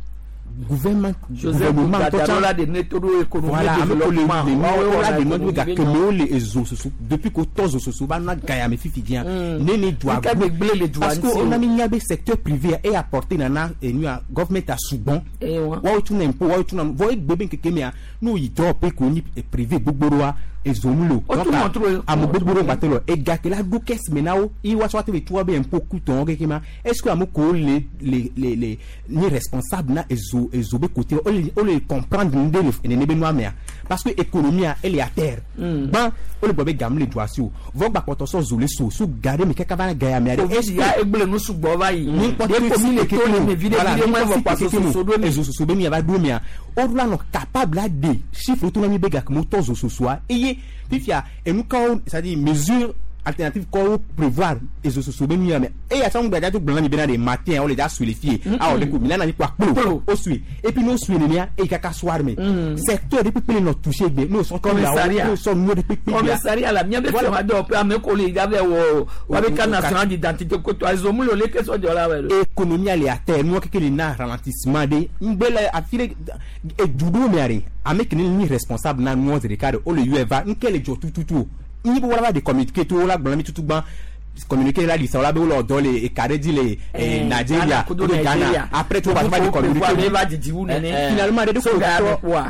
gouvernement Joseph gouvernement tɔ Gbadaro tsã la de ne to ɖo économie voilà ame ko le développement. le Woawoe nuwo la wɔna de nɔdɔ économie gake be mewo le ezo soso depuis ko tɔ zo soso va na gaya me fifi dzia Mm. nene dua Nka gbegble le dua parce que ŋuti o. wona mi nya be secteur privé e apporté nana enua government a sugbɔn Eh, wa. woawo tuna impôt woawo tuna vɔ egbe be nkeke mea n'o yi dɔwɔƒe ko nyi eh, privé gbogbo ɖoa ezo mu le o O Donc, tu montre- ame gbogbo ɖewo gbate lɔ ega ke la ɖo caisse me na wo ye woatsɔ ate le tu be impôt kutɔn keke ma est ce que ame kewo le le le le ni responsable na ezo ezo be côté wo le wo le comprendre nu ɖe le nene be nua mea parce que économie a ele à terre gbã wo le gblɔ be gamu le dua si o vɔ gbakpɔtɔ sɔ zo le so so ga ɖe me kaka va na ga ya mea ɖe Covid ya egble nu sugbɔ va yi. ni kpɔ Ɖe ko mi le to le me vi ɖe vi ɖe mɔ evɔ kpa soso ɖo mi. ezo soso be mi ava ɖo mea woɖo la nɔ capable la de chiffre to na mi be gake mo tɔ zo sosoa eye fifia enu kawo c'est à dire mesure alternative kɔwo prévoir ezo soso be nu ya me eye asa ŋu gbadza to gblɔ na mi bena de matin wo le dza sui le fie awɔ de ko mi na na mi kɔ akplo o sui et puis n'o sui nenea eye kaka soir me secteur de kpekpe le nɔ touché gbe n'o sɔ Commissariat. n'o sɔ nuwo de kpekpe gbea. Commissariat la miabe Voilà. fɛn wa dɔw pe ame ko le ya bɛ wɔ wa bɛ carte nationale d'identité ko to azo mu le o le ke sɔ jɔ la wɛ do. économie ale atɛ nuwo keke le na ralentissement de ŋgbe le afi ɖe edu ɖewo mea de ame ke ne nyi responsable na nuwo zi ɖeka de wo le yɔe va ŋke le dzɔ tututu o nyi be wola va de communiqué to wola gblɔ na mi tutu gbã communiqué la lisa wola be wole dɔ le eka ɖe dzi le eh, Eh, Nigeria Ghana kudo kudo Nigeria. Ghana après to va va de Prévoir communiqué be va didi wu nene. finalement de So ko ga tɔ be kpoa.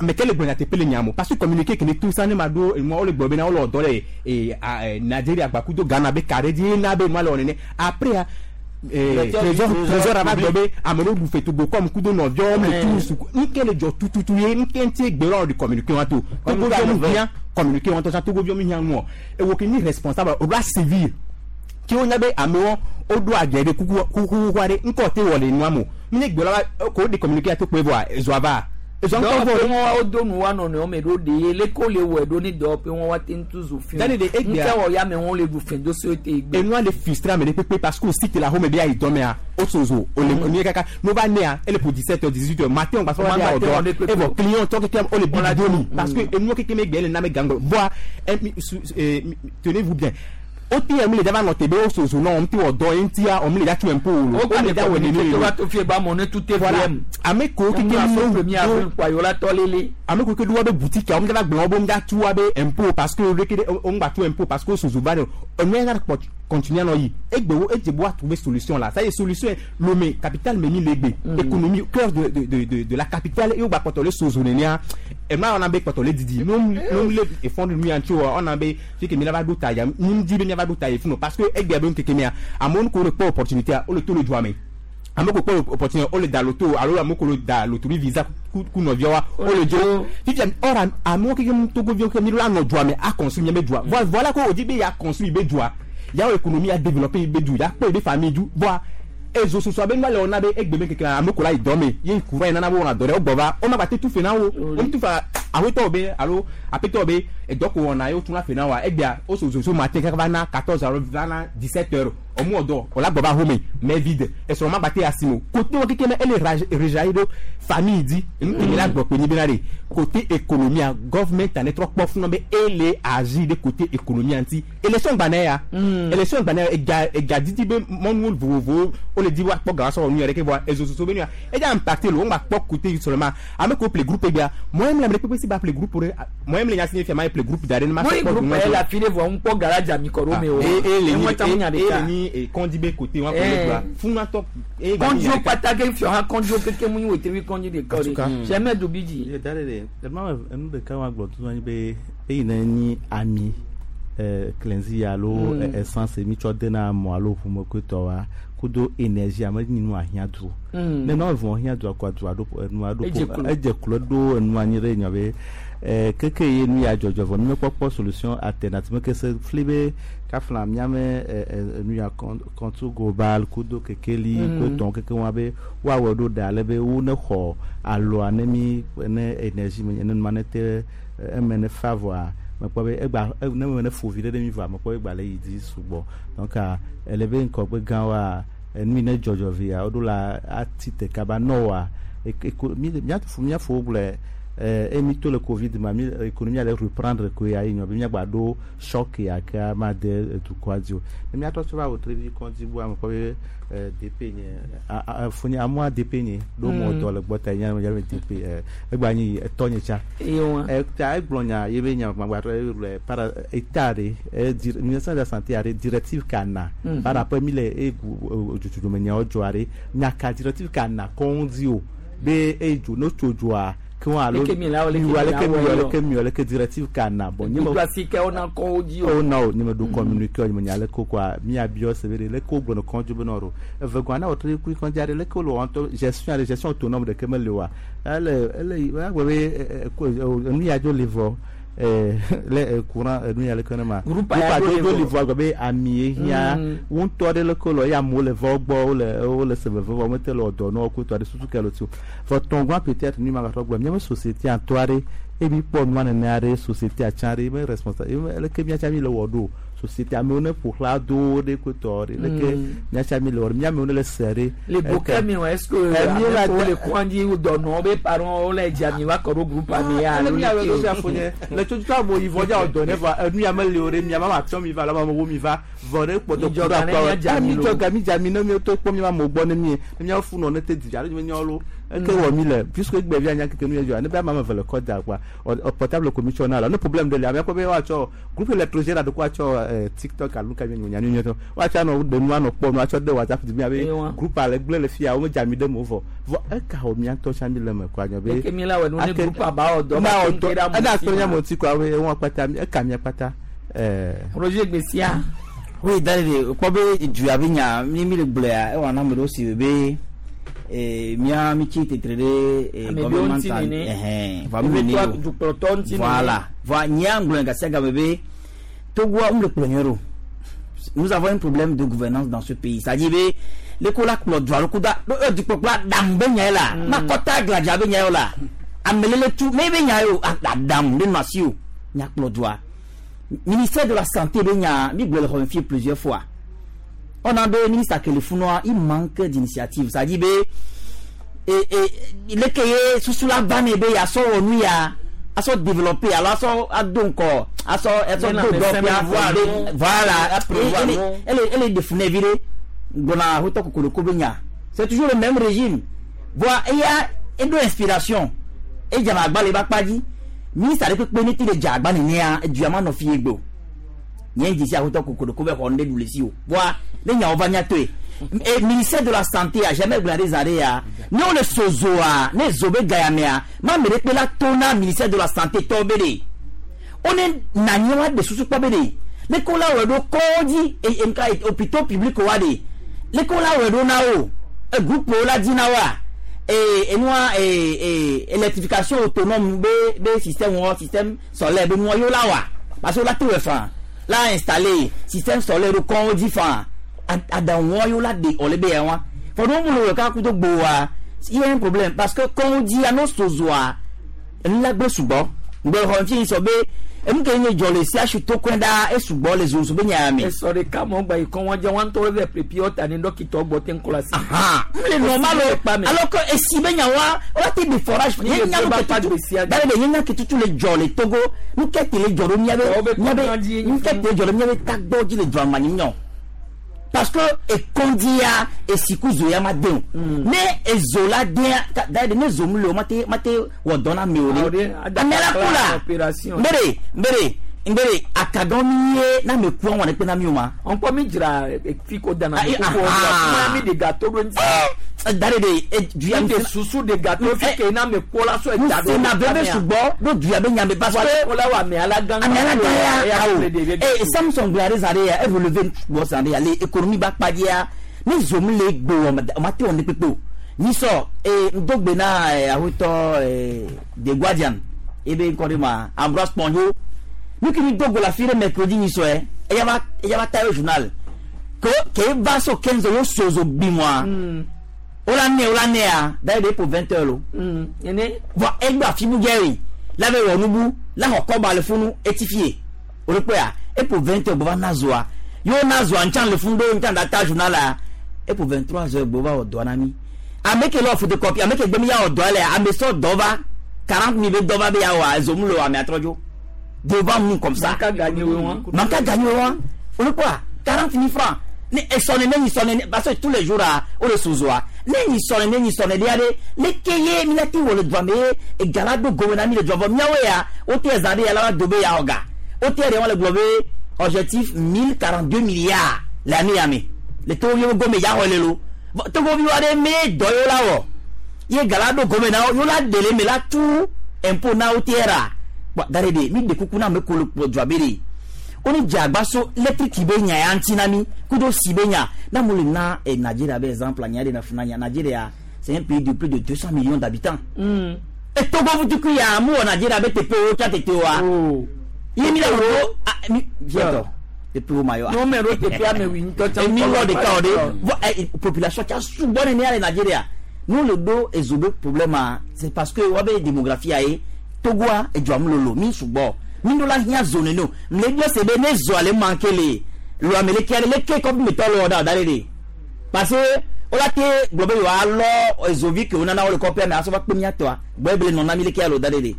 mais quel est le nyateƒe le nyamo parce que communiqué ke ne tout ça ne ma ɖo enua wole gblɔ bena wole dɔ le eh, a, eh, Nigeria gbakudo Ghana be ka ɖe dzi na be nua le wɔ nene après ah, eh, Directeur du trésor Trésor trésor ava public. gblɔ be ame ɖewo ɖu fetogo kɔm kudo nɔviawo me Eh. tu suku nke le dzɔ tututu ye nke ŋuti gbe lɔ de communiqué wa to togoviwo mu hiã communiqué wa to sa togoviwo mu hiã ŋuɔ ewo ke nyi responsable o ɖo sévir ke wonya be amewo woɖo adze ɖe kuku kuku aɖe ŋkɔ te wɔ le nua mo mi nye gbe la va ko de communiqué ya to kpe vɔa ezoa va ezoa ŋutɔ Dɔwɔƒe vɔ ɖe. wọn wo do nu wa nɔnɔewo me ɖo de ye leke wo le wɔe ɖo ne dɔwɔƒe wọn wa te ŋutu zu fi. Dani de egbea- Ŋkɛ wɔ ya me wọn le ɖu fɛn do so te gbe. enua le frustré ame ɖe kpekpe parce que o si te la home be ayi dɔmea o sozo o le nu ye kaka n'o va nea ele pour dix-sept heures dix-huit heures matin o gbasɔ O ma wa matin, de awɔ on dɔ est kpekpe. evɔ client tɔ keke o le On la bi do mi do. parce que enua keke me gbe ele na me gangbɔ voa eh, mi- su- eh, mi- tenez-vous bien o ti yɛ mi le dava nɔ te be o sozo nɔ o ti wɔ dɔ ye ŋutia o mi le da tu impôt o O o ka le ne da wɔ nene communiqué le to va to fie ba mɔ ne tout est Voilà. VM. ame kewo keke Emu aso premier avril do kpa yewo la tɔ lele. ame kewo ke do wa be boutique a wo mi va gblɔ wo be ŋga tu wa be impôt parce que o ke o ŋgba tu impôt parce que o sozo va de enu ya kpɔ continuer anɔ yi egbe wo edze bo wa trouver solution la ça y est solution ye Lomé capitale me mi le egbe économie cœur de de de de de la capitale ye wo gba kpɔtɔ le sozo nenea ema wɔna be kpɔtɔ le didi no no le efɔn nu ya ŋuti o ɔna be fi ke mi la va ɖo ta ya mi di be mi va ɖo ta ye funu parce que egbea be ŋkeke mea amewo ko le kpɔ opportunité a wo le to le dua me ame ko kpɔ opportunité wo le da loto alo ame ko le da loterie visa ku ku nɔviawoa wo le dzo fifia or am- amewo keke mu togoviwo ke mi la nɔ dua me a construire miabe dua voilà voilà ko o di be ya construire be dua ya wɔ économie ya développer be du ya kpɔ be famille du voa ezo soso abe nua le wɔna be egbe me keke ame ko la yi dɔ me ye courant yi nana be wɔna dɔ ɖe wo gbɔ va wo ma gba te tu fe na wo wo tu fa awetɔwo be alo apetɔwo be edɔ ko wɔna ye wotuna fe na wa egbea wo soso so matin kaka va na quatorze heures va na dix-sept heures ɔmu wɔ dɔ o la gbɔ va home mais vide esrɔ̃ ma gba te asi o côté wo keke me ele raj- rejaillir ɖo famille di enu kemi la gbɔ kpe nyi bena de côté économie a government ane trɔ kpɔ funu be ele agir de côté économie ŋuti élection gbanɛ ya élection gbanɛ ya ega ega didi be mɔnuwo vovovowo wo le di wa kpɔ gawa sɔrɔ nu yɛrɛ ke vɔa ezososo be nu ya edza impacté lo wo ŋgba kpɔ côté seulement ame ko ple groupe gbea mɔyem le ame ɖe kpekpe si ba ple groupe ɖe mɔyem le nya si ne fia ma ye ple groupe da ɖe ne ma Mo sɔ yi kpɔ groupe du yɛ la fi de vɔ ŋu kpɔ garage ami kɔ ɖo me o. e e le Ŋu nyi ta ŋu nya e ɖeka. le nyi e kɔndzi be côté wa ko Eh. le dua funatɔ e gba nyi Kɔndziwo nya ɖeka. kpata ke fiɔ hã kɔndziwo keke mu nyi wetri kɔndzi ɖeka o de. Sɛmɛ do bi dzi. Da ɖe ɖe, ema enu ɖeka wa gblɔ tutu anyi be eyi ne nyi ami cleansi alo essence mi tsɔ dena mɔ alo ʋume kotɔ wa kudo énergie ame nyi nu ahiã du ne nɔ vɔ hiã dua kɔa dua ɖo enua ɖo edze klo ɖo enu anyi ɖe nyɔ be keke ye nu ya dzɔdzɔ vɔ mi mekpɔkpɔ solution alternative meke se fli be kafla miame nu ya compte global kudo kekeli kotɔn keke wa be woawɔ ɖo ɖa ale be wo ne xɔ aloa ne mi ne énergie me ne numa ne te eme ne fa vɔa mekpɔ be egba ne me ne fo vi ɖe ɖe mi vɔa mekpɔ be egba le yi dzi sugbɔ donc ele be ŋkɔgbe gã wa enu yi ne dzɔdzɔ via woɖo la ati te kaba nɔ wa miafo miafo gblɔe emi to le covid ma mi économie ale reprendre ko ya yi nyɔ be miagba ɖo choc ya ke ma de dukɔa dzi o ne miatrɔ tso va wò trevi kɔndzi bu ame kpɔ be D P nye fonye amua D P nye ɖo mɔ dɔ le gbɔ ta nye ame D P egba nyi etɔ nye tsa ta egblɔ nya ye be nya gbagba trɔ le para état ɖe ministère de la Santé aɖe directive ka na par rapport mi le egu dzodzodome nyawo dzɔ aɖe nyaka directive ka na kɔndzi o be edzo no tso dzoa ke alo leke mi leke mi leke directive ka na bon nye me si ke ona ko dzi o na o nye me do communiqué nye me nya leke quoi mi abiɔ se be leke wo gblɔ kɔndzi be nɔ ro eve gɔa na wòtre kui kɔndzi aɖe leke wo le wɔn gestion aɖe gestion autonome ɖeke mele oa ele ele agbe be nu ya dzo le vɔ le courant nu ya leke ne ma groupe ya dzo le vɔ agbe be ami ye hiã wo ŋutɔ ɖe leke le ya amewo le vɔ gbɔ wole wole se veve vɔ mete le dɔ nɔ kutɔ aɖe susu ke le tso vɔ tɔngua peut-être nu ma gatrɔ gblɔ míaƒe société atɔ aɖe emi kpɔ nua nene aɖe société atsã aɖe eme responsable eme leke míatsa mi le wɔ ɖo société amewo ne ƒo xlã do ɖe kotɔ ɖe leke míatsa mi le wɔ ɖo míamewo ne le se ɖe. Le bokɛ mi o, est-ce que ame le kɔndzi dɔnɔ be parents wo le dzi ami va kɔ ɖo groupe ami ya alo leke le tsotso abo yi vɔ dza dɔ ne vɔ enu ya mele o ɖe mia ma tsɔ mi va la ma wo mi va vɔ ɖe kpɔtɔ ku ɖe akpa mi dzɔ ga mi dza mi ne mi to kpɔ mi ma mo gbɔ ne mi ne miawo fu nɔ ne te dzi alo mi nyawo lo eke wɔ mi le puisque egbe vi anya keke nu yɛ dzɔ ne be ame eve le kɔ da kpa portable ko mi tsɔ na la ne problème ɖe le ame kpɔ be woatsɔ groupe électrogène aɖe ko woatsɔ TikTok alo nuka mi nya nu nyɔtɔ woatsɔ anɔ ɖe nu anɔ kpɔ nu atsɔ de WhatsApp dzi mi abe groupe ale gblẽ le fia wo me dza mi ɖe mo vɔ vɔ eka wɔ mia ŋutɔ tsã mi le me kɔ anyɔ be. Eke mi la wɔ nu ne groupe aba wɔ dɔ ma ke ɖe amu si ma ŋuti kɔ abe wọn kpata eka mia kpata. Roger Gbesia. Oui, d'ailleurs, kpɔ be du abe nya mi mi le gblɔa ewɔ na ame ɖewo si be mía mi tsi tetre ɖe gouvernement ɛhɛn vɔ mi nene o voilà vɔ nyea ŋgblɔ gasia game be Togoa ŋu le kplɔ nyuie ɖo. Nous avons un problème de gouvernance dans ce pays, c'est-à-dire be leko la kplɔ dua ɖo kuda dukpɔkplɔ aɖaŋu be nya ye la makɔta gladza be nya ye o la amelele tu me be nya ye o aɖaŋu ɖe nɔ asi o nya kplɔ dua. Ministère de la Santé be nya mi gblɔ le xɔme fie plusieurs fois, on a be ministre akelefunua, il manque d'initiative, c'est-à-dire be e e leke ye susu la va ne be yasɔ wɔ nu ya asɔ développer alo asɔ ado ŋkɔ asɔ asɔ do dɔ fia, voilà, ele ele defune vi ɖe gbɔna ahotɔ kokoroko be nya, c'est toujours le même régime. Voa eya eɖo inspiration edzana agba le ebe akpa dzi ministre aɖe kpekpe ne ti le dze agba nenea edua ma nɔ fie gbe o nye dzesi ahotɔ kokoroko be xɔ nu ɖe ɖu le si o. Voa ne nyawo va miatoe et ministère de la Santé a jamais gblɔ ɖe zã ɖe ya ne wole sozoa ne zo be ga ya mea ma ame ɖe kpe la to na ministère de la Santé tɔwo be ɖe wone na anyi wa ɖe susu kpɔ be ɖe leke wola wɔe ɖo kɔdzi nka hôpitaux publics wa ɖe leke wola wɔe ɖo na wo groupe wo la dzi na woa enua électrification autonome be be système wɔ système solaire be nua yewo la wa parce que wola te wɔ fan la installer système solaire ɖo kɔn dzi fan aɖaŋu yewo la de ɔle be ya wa fɔ ɖo mu le wɔ kaka kudo gboa, il y a un problème parce que kɔn dzi ano sozoa enu la gbe sugbɔ ŋgbɛ xɔ fi sɔ be enu ke nye dzɔ le C H U to kɔn ɖa esugbɔ le zozo be nya me. Esɔ ɖeka mɔ gba yi kɔn wɔn dze wɔn tɔ lɛ prepi ɔta ni dɔkitɔ gbɔ te ŋkɔ la si. N le normal o, alors que esi be nya wa wa te de forage nye nya nu ke tutu dale de nye nya ke tutu le dzɔ le Togo nu ke te le dzɔ ɖo miabe miabe nu ke te le dzɔ ɖo miabe tagbɔ dzi le dzɔ ama nyi parce que ekondia esiku zo ya ma den o ne ezo la den d'ailleurs ne zo mu le o ma te ma te wɔ dɔn na mi o de ame la ku la nbere nbere nbere akadɔn mi ye n'a mi ku àwọn ɛkpɛ na mi o ma. Ɔnkpɔ mi dzra fi ko dana mi koko wa mi de gâteau do ŋuti. Dare de duya mi susu de gâteau fi ke na me kola so eta do na bebe sugbɔ do duya be nyame parce que kola wa me ala gang ame ala gang ya awo eh Samson glare zare ya évoluer bo zare ya le économie ba kpadia ni zom le gbo o ma te on ne pepo ni so eh ndogbe na ahuto eh The Guardian e be nkori ma Ambroise Ponjo nous qui nous dogo la fire mercredi ni so eh e ya va e ya va tayo journal que que va so quinze yo sozo bi moi. Ola ne ola ne a d'ailleurs pour vingt heures lo. Mm ene va egba fibu geri la be wonubu la hoko ba le funu étifié. O le pe a et pour vingt heures bo nazoa. Yo nazoa nchan le fundo nchan data journal la et pour vingt-trois heures bo va o do na mi. Ameke lo photocopie ameke gbemi ya o do le ame so dova quarante mille dova be ya wa zomulo ame atrojo. Devant nous comme ça. Manka gagner wa. Manka gagner wa. O le quoi quarante mille francs. Ne sonne ne sonne parce que tous les jours à o le sous-oa ne ni sonne ne ni sonne de le keye mi la ti wole doa me e galado gowena mi le doa miawe ya o te zade ya la dobe ya oga o te re won le globe objectif mille quarante-deux milliards l'année amé le to yo go me ya ho le lo to go mi wa de me doyo la wo ye galado gowena yo la dele me la tout impôt na o te ra dare de mi de kuku na me ko le doa bere oni jagba so electric be nya ya ntinami kudo si be nya na mo le na e Nigeria be exemple nya de na funa nya Nigeria c'est un pays de plus de deux cents millions d'habitants. Mm. Et Togo vous tu ya mu Nigeria be tepe o cha tete wa. Oh. Ye mi la ro mi viens tepe o mayo. Non mais ro tepe a me wi nto cha. Mi lo de ka de population cha su bonne ni ale Nigeria. Nous le do ezobe problème c'est parce que wa be démographie aye Togo a e jwa mi subo. Mi la hian zone no me dio se be ne zo ale manquer le lo amele ke le ke comme me tolo da da le parce que o la te globe yo alo ezovi ke onana o le copia me aso ba pe mi atoa gbe non na mi le ke alo da le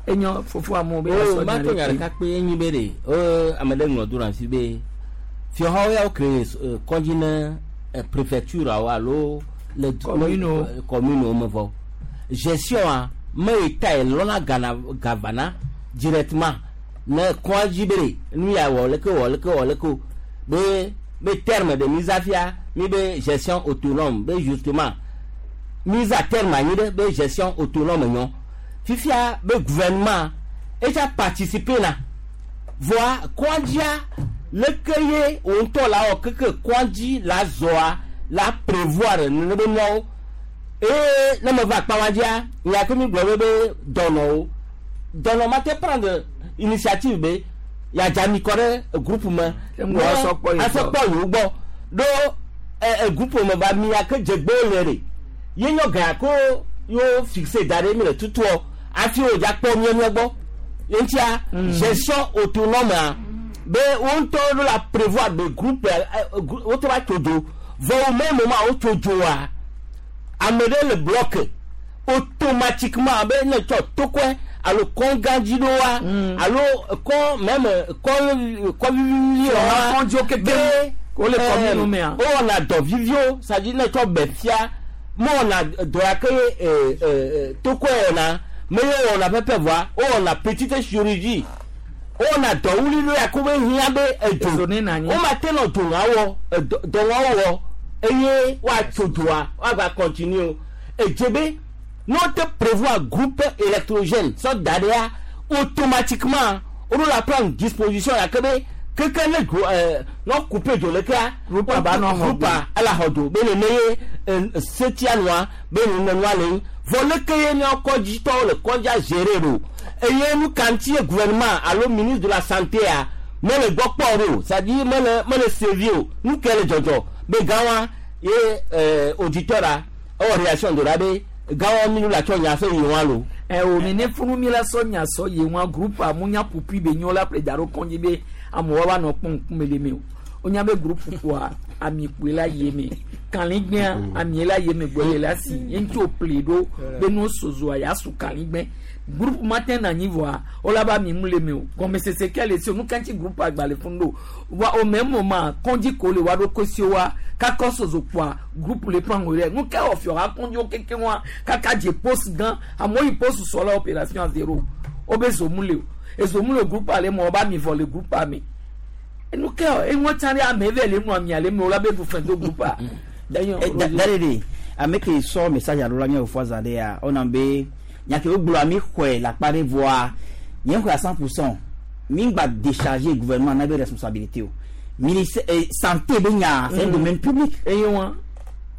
enyo fofo amo be so ma to nyara ka pe enyi be de o amele nglo dura si be fi ho ya o kre konjina préfecture alo le commune commune me vo gestion a me eta e lona gana gavana directement ne kɔndzi be nu ya wɔ leke wɔ leke wɔ leke be be terme de mise à fia mi be gestion autonome be justement mise à terme anyi ɖe be gestion autonome nyɔ fifia be gouvernement etsa participer na voa kɔndzia leke ye wo ŋutɔ la wɔ keke kɔndzi la zɔa la prévoir nene be nuawo eye ne me va akpa wa dzia nya ke mi gblɔ be be dɔnɔwo. Donc on va prendre initiative be ya jami kore groupe me asokpo yo gbo do e groupe me ba mi ya ke jegbe le re ye nyo ga ko yo fixer dare mi le tutu afi o ja po mi mi gbo entia gestion autonome be on to la prévoir de groupe o to ba todo vo au même moment o todo a amede le bloc automatiquement be ne to to quoi alo kɔnganji do wa alo kɔn même kɔn kɔvivi wa kɔnjo keke o le kɔmi mɛ o wɔna dɔ vivio c'est-à-dire ne tsɔ bɛ fia mɔ wɔna dɔ ya ke ee ee tokɔ wɔna mɛ ye wɔna pɛpɛ voa o wɔna petite chirurgie o wɔna dɔ wuli do ya ko be hiã be edzo o ma te nɔ dɔnɔ wɔ dɔnɔ wɔ eye wa tso doa wa gba continue edze be. Nous te prévoit groupe électrogène sans derrière automatiquement on la prend disposition la que quelqu'un le non coupé de le cas groupe ba non groupe à la hodo be le meye setia noir be le noir le vole que ni encore dit le konja gérer do et nous kanti gouvernement allo ministre de la santé a mais le gokporo ça dit mais le mais le servio nous quel jojo be gawa et auditeur a réaction de la be gawo mi la tso nya so yi won lo e o mi ne funu mi la so nya so yi won groupe amunya pupi be nyo la pre daro konji be amuwa wa no pon kun mele mi o onya be groupe kwa ami pe la ye mi kan ligbe ami la ye mi gbole la si en to pledo be no sozo aya su kan ligbe groupe matin na ni voa o la ba mi mule mi o comme c'est ce qu'elle est nous quand groupe agbale fundo wa au même moment konji ko le wa do ko si wa ka sozo kwa groupe le prend relais nous ka of yora konji o keke wa kaka je poste gan amo i poste sur la opération à zéro o be zo mule e zo mule groupe ale mo ba mi vol le groupe ami nous ka e won tan ame ve le nu ami ale mi o la be du fin do groupe a Darede ame ke sɔ message alo la nye fo za de ya on be nya ke wo gblɔ mi xɔe la kpa de voa nye xɔe à cent pour cent mi gba décharger gouvernement na be responsabilité o ministère santé be nya c'est un domaine public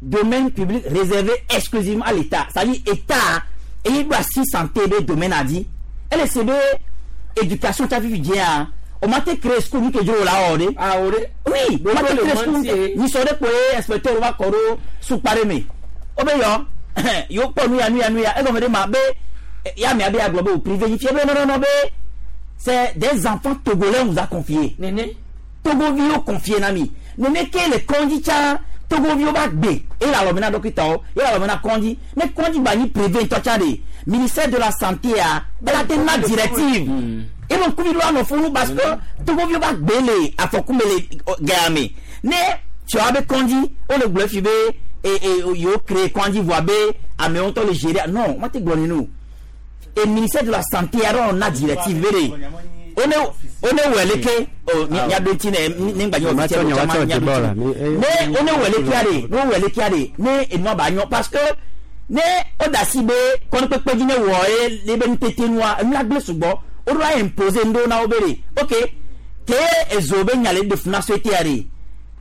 domaine public réservé exclusivement à l'État, c'est-à-dire État et il doit si santé be domaine a dit elle c'est be éducation ta vivi dia o ma te créer school que jo la ore ah ore oui o ma te créer school ni so de po inspecteur va koro su pare me o be yo yo po nu ya nu ya nu ya e go me de ma be ya mi abe aglobe au privé ni fièvre non non non be c'est des enfants togolais on nous a confié néné Togovio confié nami néné ke le condicha Togovio ba gbe et la lomena dokita o et la lomena kondi mais kondi ba ni privé tocha de ministère de la santé a la tena directive et mon kubi lo no funu parce que Togovio ba gbe le afokumele game né tu as be kondi o le gbe fibe et et yo créé kondi voit be ame on to le gérer non moi te gloni nous et ministère de la santé alors on a directive véré on est on est weleke o nya do ti ne ni gba nyo ti nya do ne on est weleke are no weleke are ne enu ba nyo parce que ne o da si be kon pepe ji ne wo e le be ntete nua enu la gbe sugbo o do imposer ndo na obere OK ke ezo be nya le de funa société are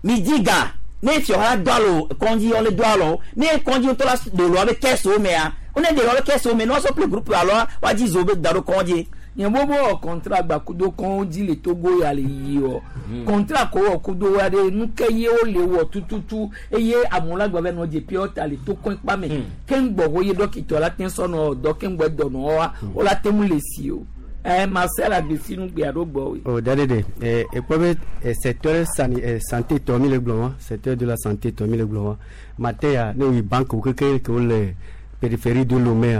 mi diga ne fi ora do alo kondi on le do alo ne kondi to la de lo be keso me a on est de lo keso me no so plus groupe alors wa di zo be daro kondi nye bobo contrat gba kudo kan di le Togo ya le yi o contrat ko o kudo wa de nu ke ye o le wo tututu eye amula gba be no je pure ta le to kon pa me ke ngbo wo ye dokito la tin sono do ke ngbo do no wa o la temu le si o eh Marcel Agbesinu gbe ado gbo we o dadede eh e po be secteur santé to mi le gblon secteur de la santé to mi le gblon matin ne wi banque ke ke ke le périphérie de Lomé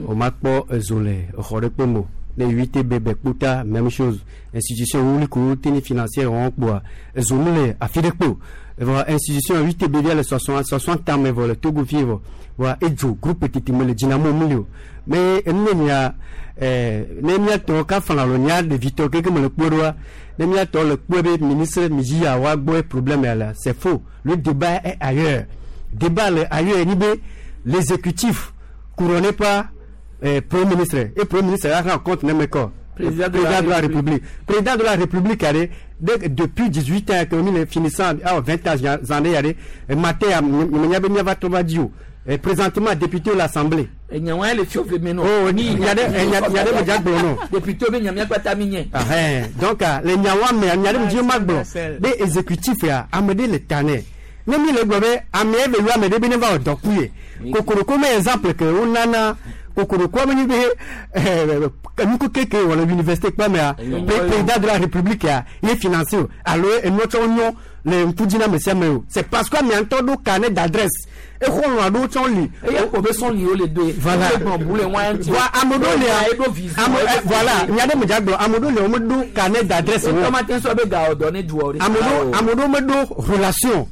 o ma po zole xore pe mo les huit bébés kputa même chose institution où les coûts financiers ont quoi zomle a fidepo voilà institution huit bébés les soixante soixante ans mais voilà Togo vivre voilà et jo groupe petit le dynamo milio mais enya eh nemia to ka fana lo nya de Victor que me le podoa nemia to le pobe ministre miji a wa gbo problème là c'est faux, le débat est ailleurs, débat le ailleurs ni be l'exécutif couronné par Eh, premier ministre et premier ministre a rencontre même quoi président de, président de la République président de la République allez depuis dix-huit ans que nous finissant ah vingt ans années allez matin nya va trouver et présentement député de l'Assemblée et nya le fio meno oh ni nya de nya de me jagbo non député be nya pata minye ah donc les nyawa me nya de me magbo de exécutif ya amede le tané ne mi le gbobe ame eve lu amede bi ne va odokuye kokoroko me exemple que on nana kokoroko me be eh nuko keke wala université pa me président de la République ya il est financé alors et notre onyo le mpudina monsieur me c'est parce que mi anto do carnet d'adresse e ko lo do ton li e ko be son li o le deux voilà voilà amodo le voilà nya de me jagbo amodo le o me do carnet d'adresse o matin so be ga ordonné du ore amodo amodo me do relation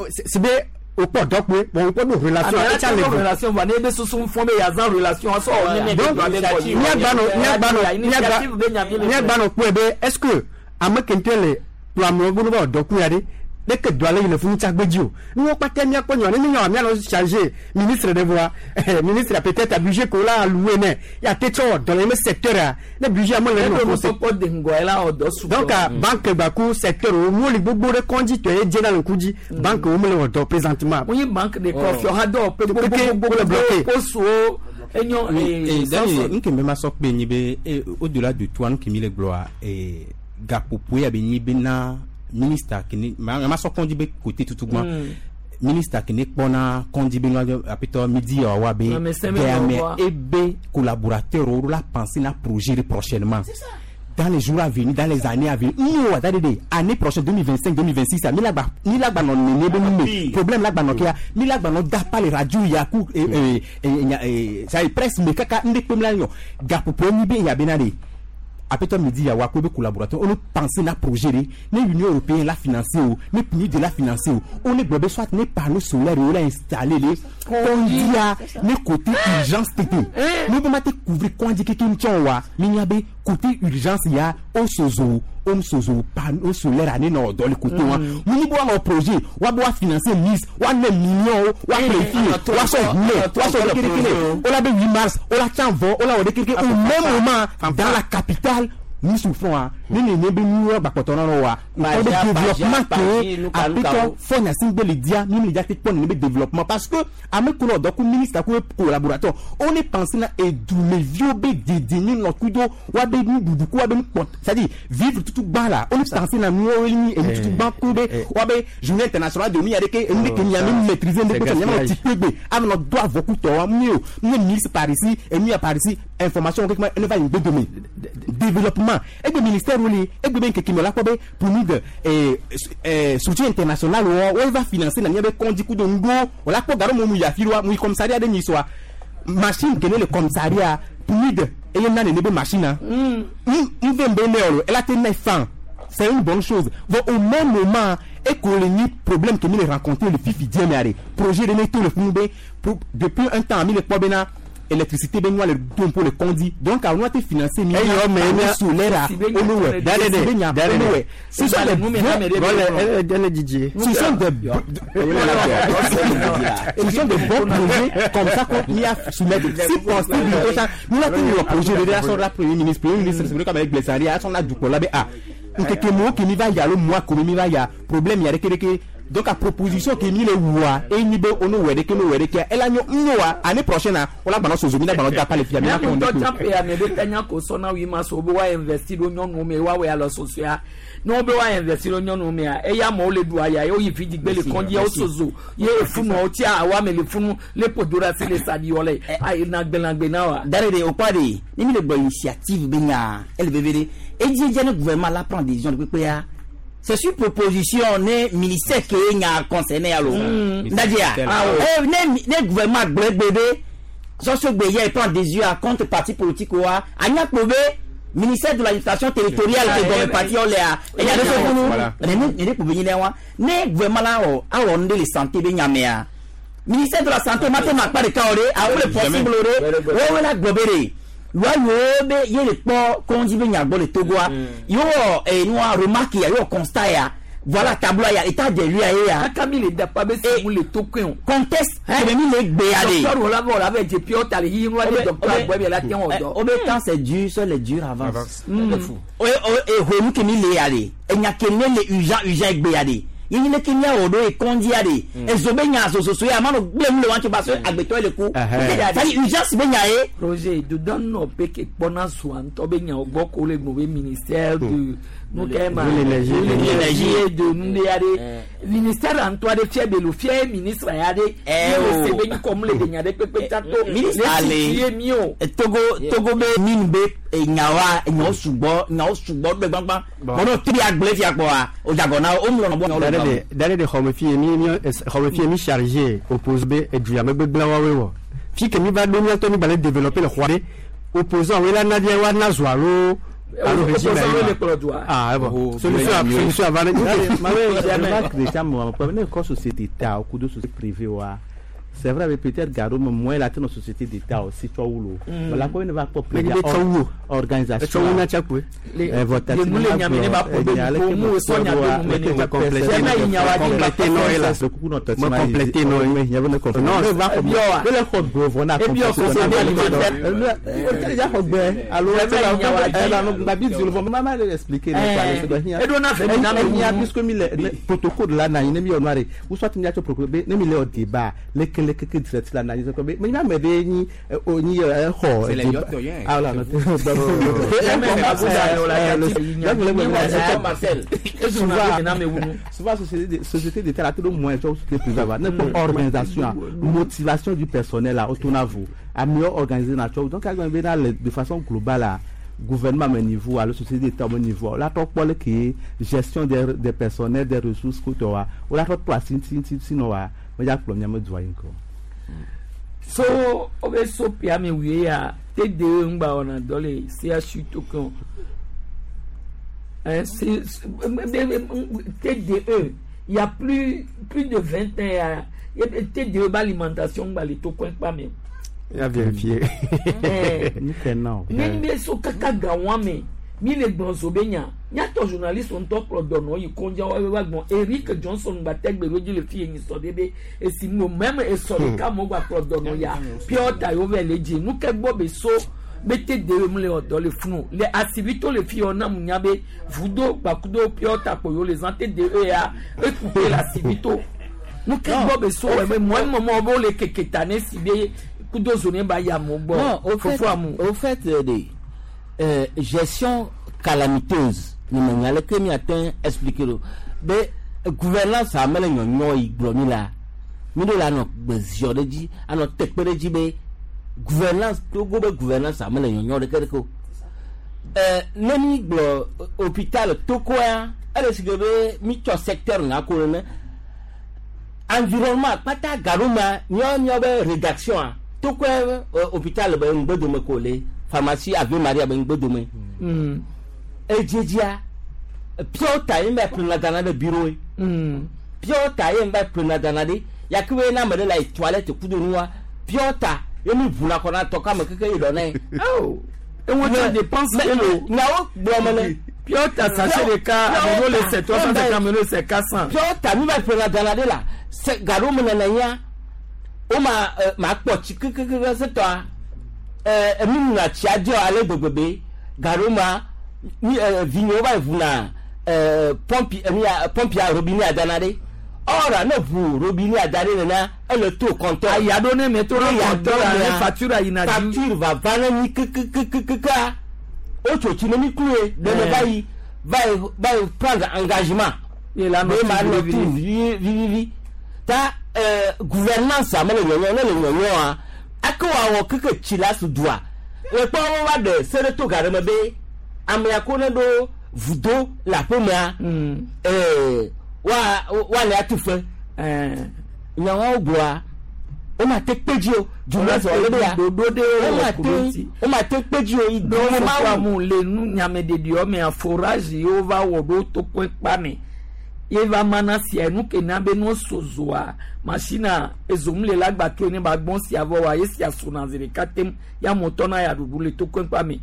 c'est bien au port donc bon on peut relation ah, relation va ne be sous fond be yazan relation so on ne donc nya gbano nya gbano nya gbano po be est-ce que amekentele plamlo gbonu ba doku ya de dès que doit aller le funu tagbeji o ni won pa te mi aponyo ni mi mi lo changer ministre de voix ministre a peut-être a budget ko la alloué né ya te to dans le même secteur le budget mo le no ko de ngoela odo su donc banque baku secteur o mo li gbogbo re kondi to e je na le kuji banque o mo le odo présentement oui banque de confiance ha do pe gbogbo bloqué ko so enyo e d'ailleurs nke me ma so pe ni be au-delà de toi nous qui mi le gloire et gapopo ya be ni be na ministre qui n'est ma so kondi be côté tout tout ministre qui n'est pas na kondi be no apito midi wa be mais et be collaborateur ou la penser na projet prochainement dans les jours à venir, dans les années à venir, nous attendez année prochaine deux mille vingt-cinq deux mille vingt-six mi la ba mi la ba non né be mi problème la ba non kia mi la ba non da pa les radio ya ku et et ça presse me kaka ndé pem la yo gapopo ni be ya be na de Apeto midi ya wa ko be collaborateur on pense na projet ne Union européenne la financer ou ne P N U D la financer ou on est globé soit ne panneau solaire ou la installer les kondia ne côté urgence T T nous peut mater couvrir kondi ke kin tchon wa minya be Côté urgence ya o sozo o sozo panneau solaire ani na dans le côté wa muni bo wa projet wa bo wa financer miss wa ne million wa préfet wa so ne wa so kékeré o la be huit mars o la tchan vɔ o la wɔ de kékeré au même moment dans la capitale nous souffrons hein ni ni ni be nu wa bakpɔtɔ na wa o de développement que apetɔ fɔ Gnassingbé le dia ni le dia te kpɔ ni be développement parce que ame ko dɔ ko ministre ko collaborateur on est pensé na edumeviwo be dedini nɔ kudo wa be nuɖuɖu ko wa be nukpɔ c'est-à-dire vivre tutu gbã la on est pensé na nuwo ni enu tutu gbã ko be wa be journée internationale de nu ya de ke enu de ke miame maîtriser ne ko miame ti kpegbe ame nɔ do avɔkutɔ wa mi o mi ministre par ici enu ya par ici information keke ma ene va yi gbedome développement egbe ministère woli egbe be nkeke mi la kpɔ be pour nous de eh soutien international wo wo va financer na miabe kɔndzi kudo ŋgo wòle akpɔ gaɖo mo mu yi afi wa mu yi commissariat ɖe nyi soa machine kene le commissariat pour nous de eye na nene be machine na n ve be ne o ela te ne fan c'est une bonne chose bon au même moment et qu'on le ni problème que nous les rencontrer le fifi dieu mais projet de ne tout le funu be depuis un temps mi le kpɔ bena électricité ben moi le don pour le conduit donc on a été financé mi solaire au ce sont des ce sont des ce sont des bons projets comme ça qu'on y a soumettre si possible nous la tenu le projet de la la premier ministre premier ministre c'est vrai comme avec Blessari son a du ko la be a nkeke mo ke mi va ya lo moi ko mi va ya problème ya reke donc à proposition qui mi le wa et ni be ono wede ke no wede ke ela nyo nyoa année prochaine on la balance aux mina balance pas les filles mais on doit taper à me de tanya ko sona wi ma so bo wa investir do nyonu me wa we alo soso no be wa investir do nyonu me e ya mo le du aya o yi fi digbe le kondi o sozo ye funu o ti awa me le funu le podora si le sadi ole ay na gbe na wa dare de o pa de ni mi le gbo initiative be nya L V V D et di le gouvernement la prend décision de P P A. C'est sur proposition ne ministère qui est concerné alors. C'est-à-dire, ne gouvernement bébé, sans ce bélier prend des yeux à contre parti politique ou à Anya ministère de l'administration territoriale qui est parti on l'a. Et il y a des choses ne gouvernement là a on de santé be nyamea. Ministère de la santé maintenant pas de kaoré, a où le possible ouais la globéré. Wa yo be ye le kpɔ kɔndzi be nyagbɔ le Togoa yo wɔ enua remarque ya yo constat ya voilà tableau ya état de lui ya ye ya. Kaka mi le dapa be si mu le tokoe o. Contexte kebe mi le gbe ya de. Docteur wòle wòle abe dze pure ta le yiyi nua de docteur agbɔ bi la te wɔ dɔ. O be quand c'est dur seul les durs avancent. O o ehonu ke mi le ya de enya ke ne le urgent urgent gbe ya de. Yìí ní kí ní àwòrán ìkọ́ndí àdè èso bẹ́ẹ̀ nyà sososo yà mánu gbé mu lè wá tó bá so àgbẹ̀tọ́ lè kú sani urgence bẹ́ẹ̀ nyà yé. Roger dudɔ nɔ pe ke kpɔna zua ŋutɔ be nyawo gbɔ ko le gbɔn be ministère de nu kɛ ma l'énergie de nu de ya de ministère ŋutɔ aɖe fia be lo fia ministre ya de o se be nyikɔ mu le de nya de kpekpe tsato ministre ale mi o. Togo Togo be mine be nyawa nyawo sugbɔ nyawo sugbɔ gbe gbangban bɔn n'o tiri agble fia kpɔa o jago na o mu lɔnà bɔ. D'aller de xɔmefie mi mi xɔmefie mi chargé oppose be eduya megbe gblẽ woawoe wɔ fi ke mi va ɖo miatɔ mi gba le développer le xɔa ɖe opposant woe la na via wa na zo alo alo régime ah bon solution solution ava ne. Déjà mo ne kɔ société ta o kudo société privée wa. C'est vrai, mais peut-être Garo, mais moi, la dans société d'État aussi, tu vois où la commune va pas organisation. Protocole là, ou soit débat, keke direct la na yese ko be me nya me de ni o ni e ho ah la souvent société société d'État la tout moins société privée va ne organisation motivation du personnel là autour na vous à mieux organiser na donc de façon globale là gouvernement à mon niveau, à la société d'État à mon niveau, là, toi, qui est gestion des, des personnels, des ressources, que tu as, ou là, toi, si, si, si, si, non, mais il y a problème, de So, on va so pia me oui ya T D E ngba on a dolé C H U token. Hein, c'est T D E, il y a plus plus de vingt ans il y a T D E alimentation ngba les tokens pas même. Ya vérifier. Ne be so kaka gawan me mi le gblɔ zo be nya nyatɔ journaliste ŋutɔ kplɔ dɔnɔ yi kɔndza wa wa gbɔn Eric Johnson gba tɛ gbe ɖo dzi le fi yi sɔ de be esi no mɛm esɔ ɖeka mo gba kplɔ dɔnɔ ya pure ta yo vɛ le dzi nu ke gbɔ be so be te de mu le ɔdɔ le funu le asibito le fi yɔ na mu nya be vudo gbakudo pure ta kpo yo le zan te de eya ekupe le asibito nu ke gbɔ be so wɛ me mɔ mɔ bo le keke ta ne si be kudo zone ba ya mo gbɔ Non, au fait, au fait de euh, gestion calamiteuse ni me nya leke miate expliquer lo be gouvernance amele nyɔnyɔ yi gblɔ mi la mi ɖo la nɔ gbeziɔ ɖe dzi anɔ tekpe ɖe dzi be gouvernance Togo be gouvernance amele nyɔnyɔ ɖeke ɖeke o ɛɛ ne mi gblɔ hôpital Togoa ele si ke be mi tsɔ secteur ŋa ko nene environnement kpata gaɖo ma miɔ miɔ be rédaction a Togoa hôpital be ŋgbedome ko le pharmacie Ave Maria be ŋgbedome edzedzia pure ta ye va ƒlena dana ɖe bureau ye pure ta ye va ƒlena dana ɖe yakebe na ame ɖe le toilette kudo nua pure ta ye mi ʋuna kɔ na tɔ kame keke ye dɔ nɛ. Eŋu tse dépense kelo. Nyawo gblɔ me ne. Pure ta sachet ɖeka amewo le se trois cent cinquante amewo le se quatre cent. Pure ta mi va ƒlena dana ɖe la se gaɖo me nana ya wo ma ma kpɔ tsi kekekeke se tɔa ɛɛ mi nuna tsia dzɔ ale gbegbe be gaɖo ma mi ɛɛ vinyewo va ʋuna ɛɛ pɔmpi ɛmi pɔmpi a robinet adana ɖe ɔra ne ʋu robinet ada ɖe nena ele to compteur. Aya ɖo ne me to ɖe compteur la ne facture yina dzi. Facture va va ne mi kekekekekea wotso tsi ne mi klue ɖe ne va yi va yi va yi prendre engagement. Ye la nɔ ma nɔ tu vivivi ta ɛɛ gouvernance ame le nyɔnyɔ ne le nyɔnyɔa ake wòawɔ keke tsi la su dua le kpɔ wo va ɖe se ɖe to ga ɖe me be amea ko ne ɖo vudo le aƒemea ɛɛ wa wa le atu fe nyawo gblɔa wo ma te kpe dzi o jumlɛ sɔrɔ le be ya wo ma te wo ma te kpe dzi o yi do ma wu le nu nyameɖeɖiɔ mea forage yiwo va wɔ ɖo tokoe kpa me ye va mana sia nu ke na be no sozoa machine ezom le la gba to ne ba gbɔn sia vɔ wa ye sia sona zi ɖeka tem ya mɔtɔ na ya ɖuɖu le tokoe kpa me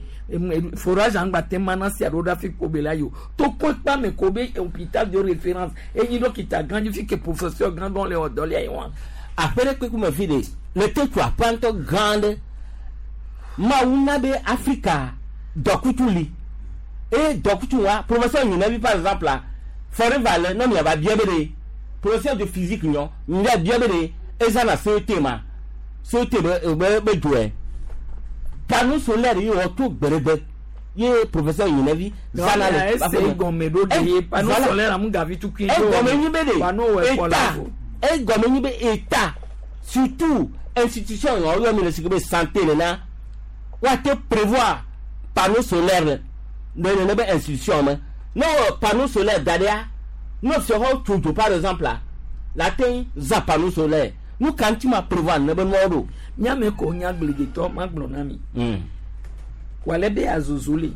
forage angba tem mana sia ɖo ɖa fi ko be la yi o tokoe kpa me ko be hôpital de référence enyi dɔkita gã dzi fi ke professeur gã gã le wɔ dɔ lia yi wa. Aƒe ɖe kpekpe me fi de le te tu aƒea ŋutɔ gã ɖe mawu na be Afrika dɔkutu li eye dɔkutu wa professeur Nyinavi par exemple la Forever le ne miava bia be ɖe professeur de physique nyɔ mia bia be ɖe ezana C E T ma C E T be be be dzoe panneau solaire yi wɔ to gbeɖegbe ye professeur Nyinavi zana le ese gɔme ɖo de ye panneau solaire amu gavi tukui do egɔme nyi be ɖe état egɔme nyi be état surtout institution yɔ yɔ mi le si ke be santé nena woate prévoir panneau solaire le nene be institution me. Non, panneau solaire derrière, nous serons toujours par exemple là, la teinte za panneau solaire. Nous quand tu m'as prévoir, nous avons nous. Nyame ko nyagbligetɔ magblɔ na mi. Wale be azozole.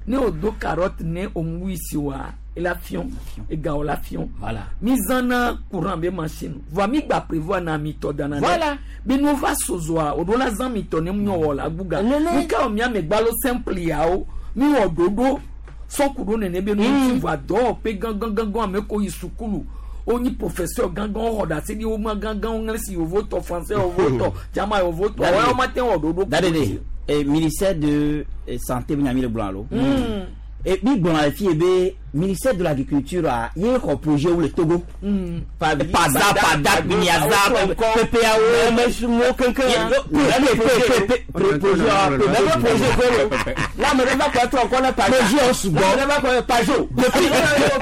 Ne o do carotte ne o mwisi wa la fion e ga o la fion. Voilà. Mi zana courant be machine. Voa mi gba prévoir na mi to dana. Voilà. Be no va sozoa o do la zan mi to ne mu wo la guga. Mi ka o mi ame gbalo simple ya o. Mi wo dodo sɔkudo nene be nu va dɔ pe gangan gangan ame ko yi sukulu onyi professeur gangan xɔ ɖase ɖi wo ma gangan ŋlɛsi yovo tɔ français yovo tɔ jama yovo tɔ wɔyɔ ma te wɔ ɖoɖo. Dadede eh, ministère de eh, santé bi nyami le gblɔ alo. Et bi gblɔ le fi be ministère de l'agriculture a ye xɔ projet wu le Togo. Pada pada Niaza P P A O M S mo kankan. P P P projet projet kolo. Là me va quoi toi encore pas projet sugbɔ. Me va quoi Pajo. Depuis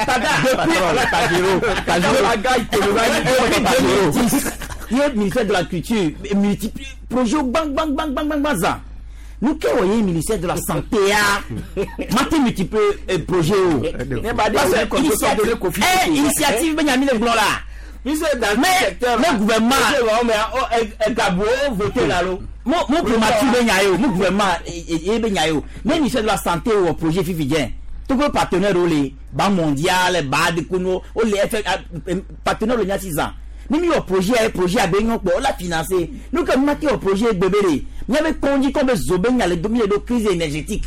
Pada. Depuis Pajero. Pajero deux mille dix. Ye ministère de l'agriculture multiplie projet bang bang bang bang bang bang zan. Nous qui voyons ministère de la santé a maté multiple projet o. Parce que initiative Benjamin le blanc là. Mais mais gouvernement mais voté là lo. Mon mon primature ben mon gouvernement et ben mais ministère de la santé au projet Fifidien. Tout le partenaire au les Banque mondiale, B A D Kuno, au les partenaire le six ans. Nous mis au projet projet à ben on l'a financé. Nous comme maté au projet bébé Miabe kɔndzi kɔ be zobe nya le do mi le ɖo crise énergétique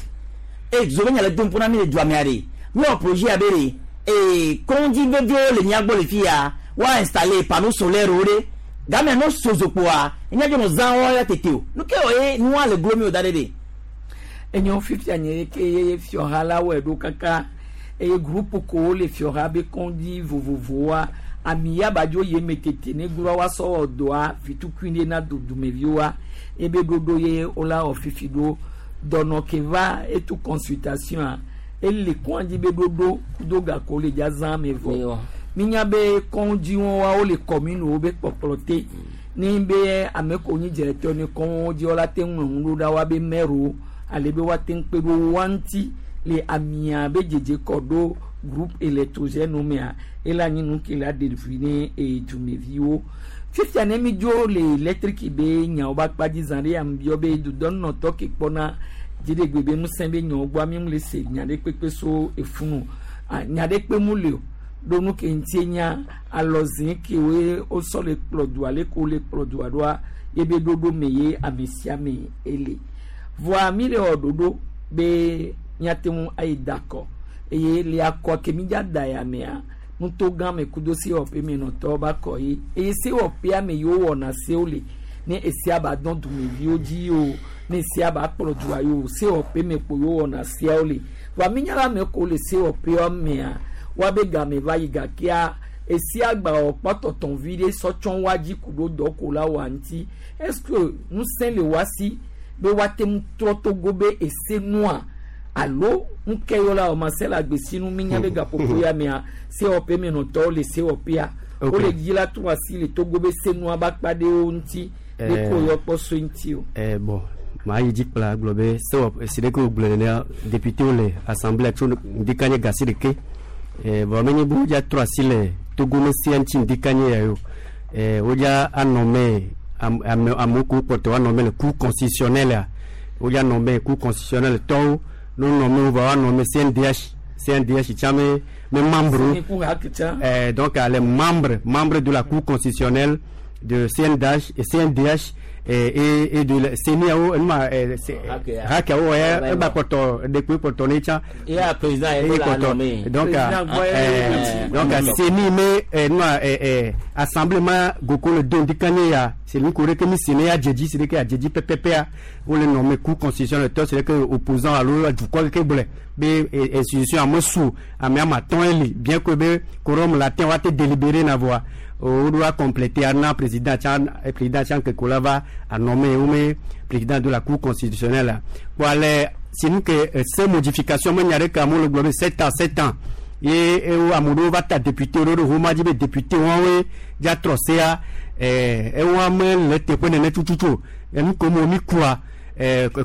e zobe nya le do ƒona mi le dua mea ɖe miwɔ projet abe ɖe ee kɔndzi veviwo le mia gbɔ le fi ya wa installer panneau solaire wo ɖe gamea no sozokpoa enya dzo nɔ zã wɔ ya tete o nu ke wɔ ye nua le glo mi o da ɖe ɖe. Enyo fifia nye ke ye fiɔha la wɔe ɖo kaka eye groupe kowo le fiɔha be kɔndzi vovovowoa ami ya badzo ye me tete ne gloa wa sɔ wɔ dɔa vitukui ɖe na dudumeviwoa ebe ɖoɖo ye wola wɔ fifi ɖo dɔnɔ ke va etu consultation a ele kɔndzi be ɖoɖo kudo gako le dza zã me vɔ minya be kɔndziwo wa wole commune wo be kpɔkplɔ te ni be ame ko nyi directeur ne kɔnwo dzi wola te ŋlɔ ŋu ɖo ɖa wa be maire wo ale be woate ŋu kpe ɖo wa ŋuti le amia be dzedze kɔ ɖo groupe électrogène mea ele anyi nu ke la ɖe vi ne dumeviwo fifia ne mi dzo le électrique be nyawo be akpa dzi zã ɖe ame biɔ be dudɔnɔtɔ ke kpɔna dziɖegbe be ŋusẽ be nyawo gbɔa mi mu le se nya ɖe kpekpe so efunu nya ɖe kpe mu le o ɖo nu ke ŋutie nya alɔzi kewoe wosɔ le kplɔ dua le ko le kplɔ dua ɖoa ye be ɖoɖo me ye ame sia ame ele voa mi le wɔ ɖoɖo be míate ŋu ayi da akɔ eye le akɔ ke mi dza da ya mea nuto gã me kudo sewɔƒe me nɔtɔwo ba kɔ ye eye sewɔƒea me yiwo wɔna sewo le ne esia ba dɔn dumeviwo dzi o ne esia ba kplɔ dua yi o sewɔƒe me kpo yiwo wɔna seawo le voa mi nya la ame ko le sewɔƒea mea woabe game va yi gakea esia gba wɔ kpɔtɔtɔn vi ɖe sɔtsɔn wa dzi ku ɖo dɔ ko la wɔ ŋuti est ce que ŋusẽ le wa si be woate ŋu trɔ togo be ese nua alo ŋkɛ yɔ la wɔma se la gbesinu mi nya be gaƒoƒo ya mea sewɔƒe me nɔtɔwo le sewɔƒea wole dzi la trɔ asi le togo be senua ba kpa ɖe wo ŋuti be ko yɔ kpɔ so ŋuti o. Eh, bon maa yi dzi kpla gblɔ be sewɔƒe si ɖeke wògblɔ nenea député le assemblée tso ŋdika nye gasi ɖeke eh, vɔ menye be wodza trɔ asi le togo me sia ŋuti ŋdika nye ya o eh, wodza anɔ me ame amewo ko kpɔtɔ woanɔ me le cour constitutionnelle a wodza nɔ me cour constitutionnelle tɔwo no nɔ me wova woanɔ me C N D H C N D H tsã me me membre eh, donc les membres membres de la cour constitutionnelle de C N D H et C N D H et, et, et de la CENI-ao enuma hakeawo ya eba kpɔtɔ ɖekpe kpɔtɔ ne tsã ya président ye la nommé. Donc donc CENI me enuma assemblée ma goko le don dikanye ya c'est lui ko ke mi CENI ya dzedzi c'est que ya dzedzi pɛpɛpɛa wole nommé cour constitutionnelle tɔ c'est que opposant alo dukɔ keke gblɔe be institution ame su ame ama atɔ̃ eli bien que be quorum latin wa te délibéré na voa woɖo a compléter ana président tsã président tsã ke ko la va a nommé wo me président de la cour constitutionnelle kpɔ ale sinu ke ces modification me nya ɖe ke amewo le gblɔ be sept ans sept ans ye ewo ame ɖewo va ta député ɖewo ɖe homa dzi be député wɔwoe dza trɔ sea ewo ame le teƒe nene tututu o enu ko mo mi kua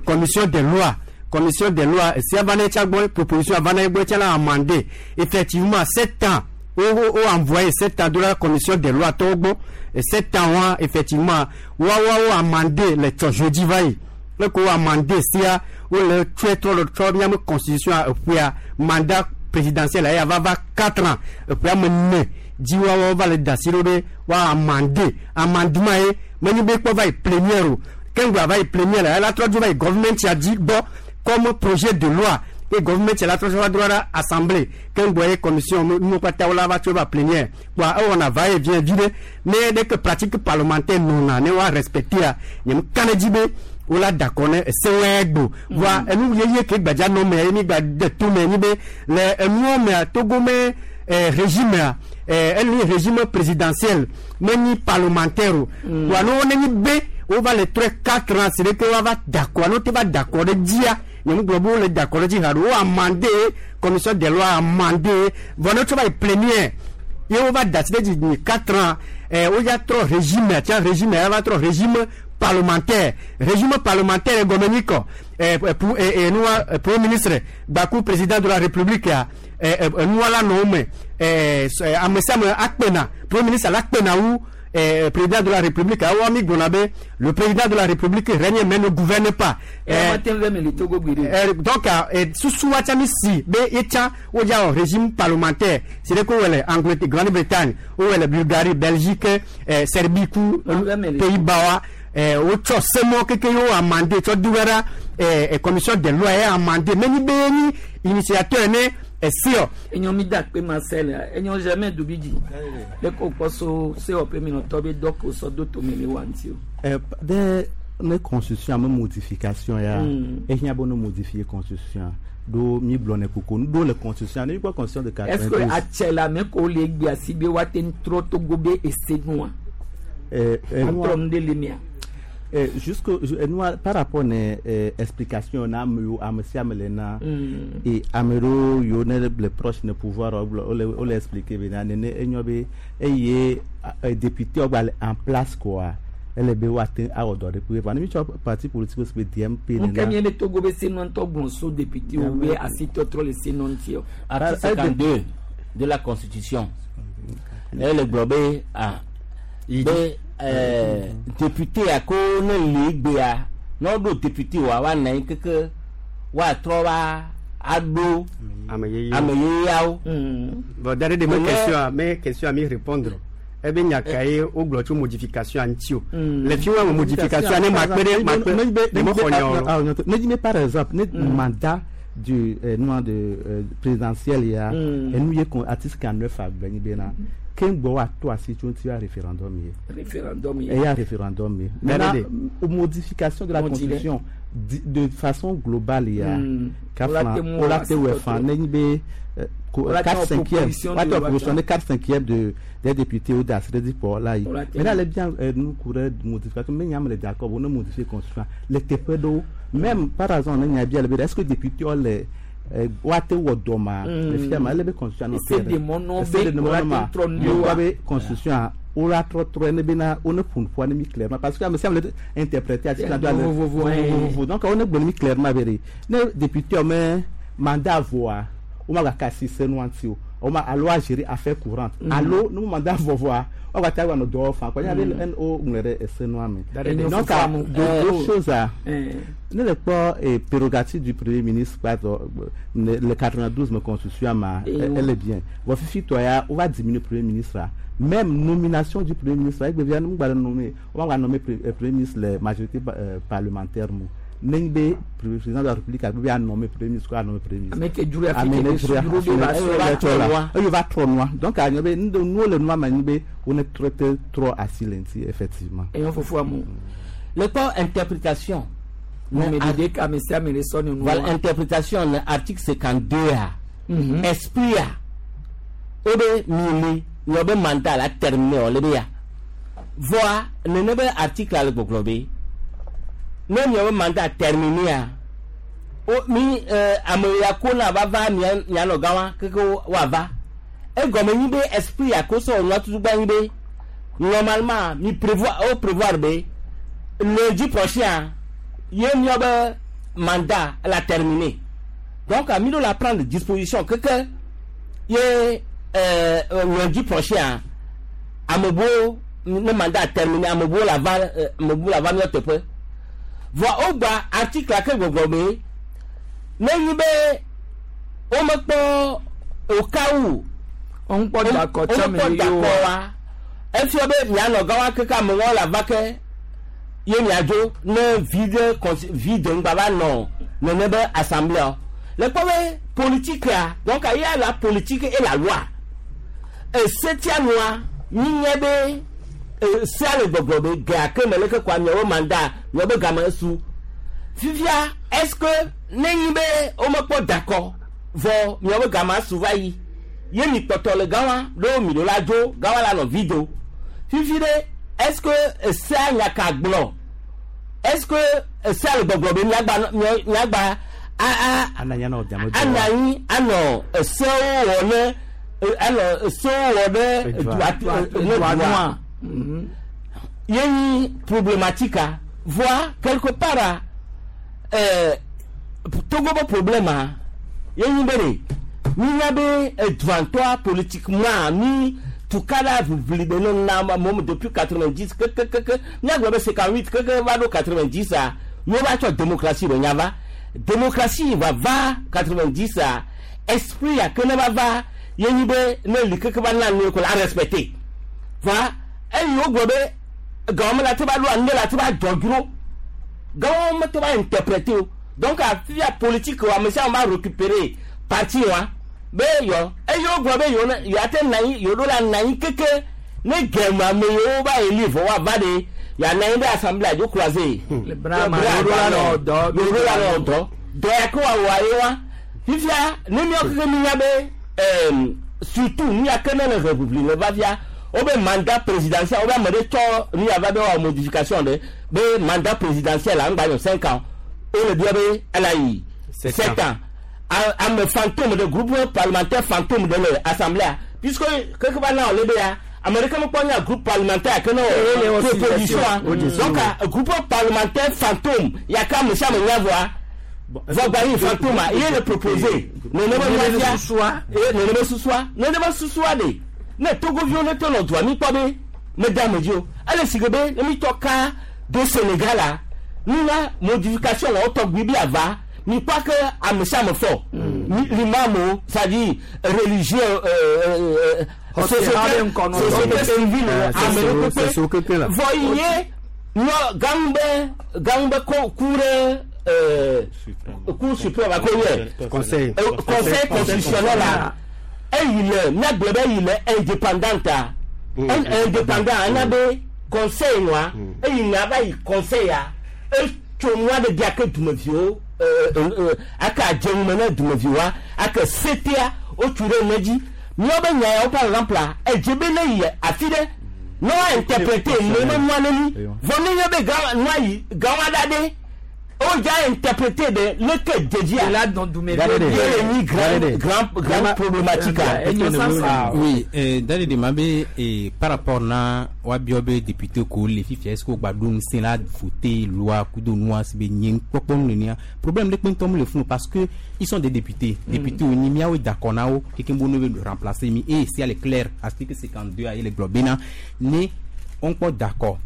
commission des lois commission des lois sia va ne tsa gbɔ proposition va ne gbɔ tsa la amendé effectivement sept ans o o envoyé sept ans de la commission des lois tɔwo gbɔ sept ans wa effectivement wa wa wo amendé le tsɔ jeudi va yi le ko amendé sia wo le tsɔe trɔ le trɔ miame constitution eƒea mandat présidentiel eya va va quatre ans eƒea me ne dzi wa wa va le da asi ɖo ɖe wa amendé amendement ye menye be kpɔ va yi plénière o keŋgba va yi plénière ela trɔ dzo va yi gouvernement ya dzi gbɔ comme projet de loi et gouvernement la trɔ va droit la assemblée keŋgbɔ ye commission nu kpata wo la va tso va plénière kpoa ewɔna va et vient vi ɖe ne ɖe ke pratique parlementaire nɔna ne wa respecter nye ka ne dzi be wola d'accord ne esewɔe gbo voa enu yeye ke gbadza nɔ me ye mi gba de to me nyi be le enuwo mea Togo me eh, régime a eh, eli régime présidentiel menyi parlementaire o voa ne wo ne nyi be wova le trɔ quatre ans c'est que wova d'accord no te va d'accord ɖe dzia nye mu gblɔ be wole d'accord ɖe dzi haɖo wo amendé commission des lois amendé vɔ ne wotsɔ va yi plénière ye wova da asi ɖe dzi nyi quatre ans eh, wodza trɔ régime tia régime ya va trɔ régime parlementaire régime parlementaire gɔme nyi kɔ eh, pour eh, eh, nua eh, premier ministre gbaku président de la république ya eh, eh, nua la nɔ wo me eh, ame sia ame akpena premier ministre la kpena wu eh, président de la république awo mi gblɔna be le président de la république règne mais ne gouverne pas. Eh, eh, donc eh, susu wa tsa mi si be yetsa wodza wɔ régime parlementaire c'est de ko wɔ le Angleterre, Grande-Bretagne wowɔ le Bulgarie, Belgique, eh, Serbie ku Pays-Bas wa eh wotsɔ semɔ keke yewo amande tsɔ du ɖa eh commission des lois ye amande meni be ni initiateur ne esiɔ. Enyo mi da kpe Marcel enyo jamais dubi dzi le ko kpɔ so C O P mi nɔtɔ be dɔ ko sɔ do tome le wa ŋuti o. Eh, de ne constitution ame modification ya Mm. ehiã be ne modifier constitution ɖo mi gblɔ ne koko ɖo le constitution ne mi kpɔ constitution de Est-ce que quatre-vingt-douze. Atsɛ la ame ko le egbe asi be woate ŋu trɔ Togo be ese nua? Eh, eh, Atrɔ nu ɖe le mia? Eh, jusque je- eh, nua par rapport ne eh, explication na ame yiwo ame sia ame le na Mm. et ame ɖewo yiwo ne le proche ne pouvoir wo gblɔ wole wole expliquer bena nene enyo be eye eh, député wo gba le en place quoi ele be woate awɔ dɔ ɖe kpe vɔ ne mi tsɔ parti politique si be D M P. Nuke mi be Togo be se nua ŋutɔ gblɔ so député wo be asitɔtrɔ le se nua ŋuti o. Article cinquante-deux de la constitution ele gblɔ be ah be ɛɛ député ya ko ne le egbea ne woɖo député wa woanɔ anyi keke woatrɔ va aɖo ame yeyewo. Ame yeyeawo. Bon, d'ailleurs, de mes Mais- questions, à- mes questions à m'y répondre. Eh bien, il y a qu'à au tso modification ŋuti o. Le fi wa modification ne ma kpe ɖe ma kpe ne mo xɔ nya o. Ne dis par exemple ne mandat du euh, non de euh, présidentiel ya Mm. enu ye kon article quarante-neuf agblɔ nyi bena ke ŋgbɔ wa to asi tso ŋuti ya référendum ye. Référendum ye. Eya référendum ye. Maintenant, maintenant modification de la Mo di lɛ. constitution di- de façon globale ya Mm. ka Ola flan te mu ola te wɛ asitɔtrɔ. fan ne nyi be euh, ko- Ola te quatre wɔ cinquième proposition wa de te loi proposition tsa. ne quatre cinquième de des députés ou d'assuré du port là yi. Ola te Maintenant mu. elle est bien euh, nous courait modification mais nyame le d'accord on modifier constitution le teƒe ɖewo même par exemple ne nya bia le be est-ce que député le woate wɔ dɔ ma Mm. le fia ma ele be constitution nɔ Ese de mɔ nɔ ese de be mɔ ola nɔ ma te trɔ nu ɖewoa. wa be constitution wola trɔtrɔ ne bena wo ne ƒo nuƒoa ne mi clairement parce que ame sia ame le interpréter article do ale Vovovo, eh. vovovo donc wo ne gblɔ ne mi clairement be ɖe ne député me mandat voa wo ma gba kasi se nua ŋuti o wo ma alo a gérer affaire courante Mm. alo ne mandat vɔ vɔa wo gba ta gba nɔ dɔ wɔ fan kɔ nya be Mm. n o ŋlɔ ɖe ese nua me Enyo donc fufu amu. deux Eh, deux oh. choses a Eh. ne le kpɔ eh, prérogative du premier ministre pardon, le le quatre-vingt-douze me constitution ma Eh, elle est bien bon fifi tɔ ya on va diminuer premier ministre la même nomination du premier ministre egbe via nu gba le nommer on va nommer pre- eh, premier ministre les majorité euh, parlementaire mu ne be président de la république a be a nommer premier ministre ko a nommer premier ministre. Ame ke dzro afi Ame ke ne be dzro dzro be afi va ne sɔ va trɔ la. la eye va trɔ nua donc a nye be nu nuwo le nua ma nyi be wo ne trɔ te trɔ asi le ŋuti effectivement. Enyo fufu amu. Le kpɔ interprétation. Numeɖeɖe ka ame sia ame le sɔ ne nua. Voilà, interprétation le article cinquante-deux a Mhm. esprit a o be mi le miɔ be mandat la terminé o le be ya voa nene be article a le gbɔgblɔ be ne miɔ be mandat terminé a o mi euh, ame ya ko na va va mia mianɔ gã wa keke woava egɔme nyi be esprit ya ko sɔ nua tutu gba nyi be normalement mi prévoir o prévoir be lundi prochain ye miɔ be mandat la terminé donc mi ɖo la prendre disposition keke ye euh, lundi prochain amebuwo ne mandat terminé amebuwo la va euh, amebuwo la va miɔ teƒe vɔ wogba article ke gbɔgblɔ be ne nyi be womekpɔ au cas où womekpɔ dakɔ tsɔ me womekpɔ yewo dakɔ wa efia be mianɔ gã wa keke amewo la va ke ye miadzo ne vide cons- vide ŋgba va nɔ nene be assemblée le kpɔ be politique a donc il y a la politique et la loi esetia nua mi nye be sea le gbɔgblɔ be gea ke me leke kɔa miawo mandat miawo be game su fifia est ce que ne nyi be womekpɔ dakɔ vɔ miawo be game su va yi ye mi kpɔtɔ le gã wa ɖo mi ɖo la dzo gã wa la nɔ vi do fifi ɖe est ce que esea nya ka gblɔ est ce que esea le gbɔgblɔ be miagba mia- miagba a a ananya na ɔdiame anɔ anyi anɔ esewo wɔ ne anɔ esewo wɔ ɖe Edua. dua ne Edua dua nua. ye nyi problématique a voa quelque part a ɛɛ Togo be problème a ye nyi be de mi nya be edua politiquement mi tukala ʋiʋli be ne na mɔmu depuis quatre-vingt-dix kekekeke miagblɔ be cinquante-huit keke va ɖo quatre-vingt-dix a mi va tsɔ démocratie be nya va démocratie va va quatre-vingt-dix a esprit a ke ne va va ye nyi be ne li keke va na nu ko la respecter va eyi wogblɔ be Gawo me la te ba lo ande la te ba dɔdro. Gawo me te ba interpréter o. Donc a fia politique wa me sia ma récupérer parti wa. Be yo eyo gblɔ be yo ne yo ate na anyi yo ɖo la na anyi keke ne gɛma me yewo ba yi li vɔ wa va de ya na anyi ɖe assemblée adzo croisé. Le bras ma yo ɖo la nɔ dɔ. Yo ɖo la nɔ dɔ. Dɔ ya ke wa wɔ ye wa. Fifia ne miɔ keke mi nya be ɛɛ surtout nu ya ke ne le république le va fia wo be mandat présidentiel wo be ame ɖe tsɔ nu ya va be wɔ modification ɖe be mandat présidentiel la ŋgba nɔ cinq ans wo le bia be ela yi sept ans. Ame fantôme de groupe parlementaire fantôme de l'assemblée puisque quelque part là on le ya américain me prend un groupe parlementaire que non proposition donc un groupe parlementaire fantôme il y a qu'à monsieur me voir va gagner fantôme il est le proposé ne ne me sous-soi ne ne me sous-soi ne ne me sous-soi de ne Togo vieux ne te droit mi pas be mesdames Dieu allez si be mi toka de Sénégal là nous la modification on to bibi va ni pas que à me ça me fort l'imam c'est-à-dire religieux euh société civile américaine voyez no gambe gambe cour euh cour suprême à conseil conseil constitutionnel là et il est n'a il est indépendant indépendant un abbé conseil moi et il n'a pas conseil à et tout moi de bien que tu me vieux aka jɛnkumɛnɛ dumeviwa aka setea o tu ɖe ne dzi míawo be nya yawo par exemple la edze be ne yi afi ɖe ne wa interpréter ne me nua ne mi vɔ ne nye be gã nua yi gã wa ɖa ɖe o dza interpréter de leke dzedzia ye nyi grand grand grand problématique a. Oui, dale de ma be par rapport na wa biɔ be député ko le fifia est-ce que o gba ɖo ŋusẽ la voter loi kudo nua si be nye kpɔkpɔ nu nenia problème ɖe kpe ŋutɔ mu le funu parce que ils sont des députés députés wo nyi miawo d'accord na wo keke bo ne be remplacer mi et si elle est claire article cinquante-deux a ye le gblɔ bena ne on kpɔ d'accord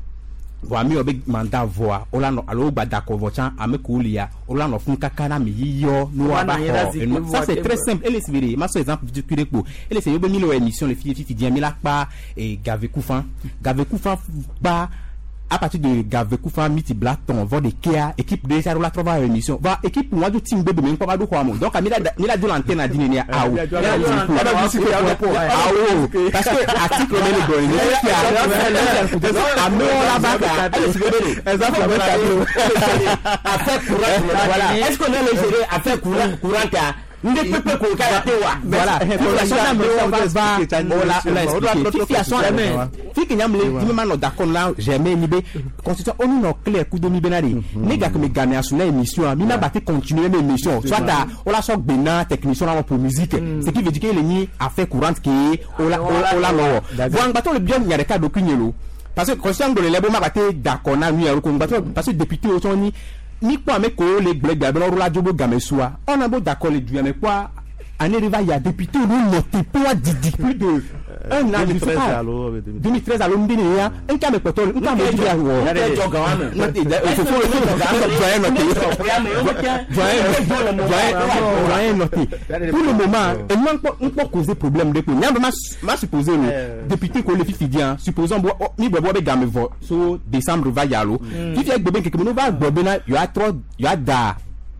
vɔ ame yawo be mandat vɔa wola nɔ alo wogba d'accord vɔ tsã ame kewo lia wola nɔ funu kaka na ame yiyɔ ne woava xɔ enu ça c'est très simple ele si be de ma sɔ exemple tukui ɖe kpo ele si yewo be mi le wɔ émission le fi fifi diɛ mi la kpa Gavekufa Gavekufa kpa à partir de Gavekufa miti bla tɔn vɔ de kea équipe de sa la trɔ va émission va équipe wa do team bebe me ŋkɔ va do xɔa mo donc mi la mi la do l'antenne a di nenia awo awo parce que article me le gbɔ ne fia amewo la va ka affaire courante voilà est-ce qu'on a le gérer affaire courante a nde pepe ko ka te wa voilà va ola ola expliquer fifi ason fiki nyamle di ma no d'accord là jamais ni be constitution onu no clair coup de mi benari ne ga que me gagner sur émission mi na ba te continuer mes émission soit ola so gbena technicien là pour musique ce qui veut dire que le ni affaire courante qui ola ola no bon bato le bien nya de ka dokunyelo parce que constitution de lebo ma ba te d'accord na mi parce que député o ni ni kpɔ ame ko le gblẽ gbe abe la dzo bo game sua ɔna bo d'accord le du ame kpɔa année de va ya député wo nɔ teƒe wa didi plus de un an je sais pas deux mille treize alo ŋdi ne ya nka ame kpɔtɔ nka ame dzi wɔ fofo doyen nɔte doyen doyen nɔte pour le moment enua ŋkpɔ ŋkpɔ causer problème de ko nyame ma ma supposer o député ko le fifi dian supposons bo mi bɔ bɔ be game vɔ so décembre va ya lo fifi egbe be nkeke me no va gbɔ bena yɔ atrɔ yɔ ada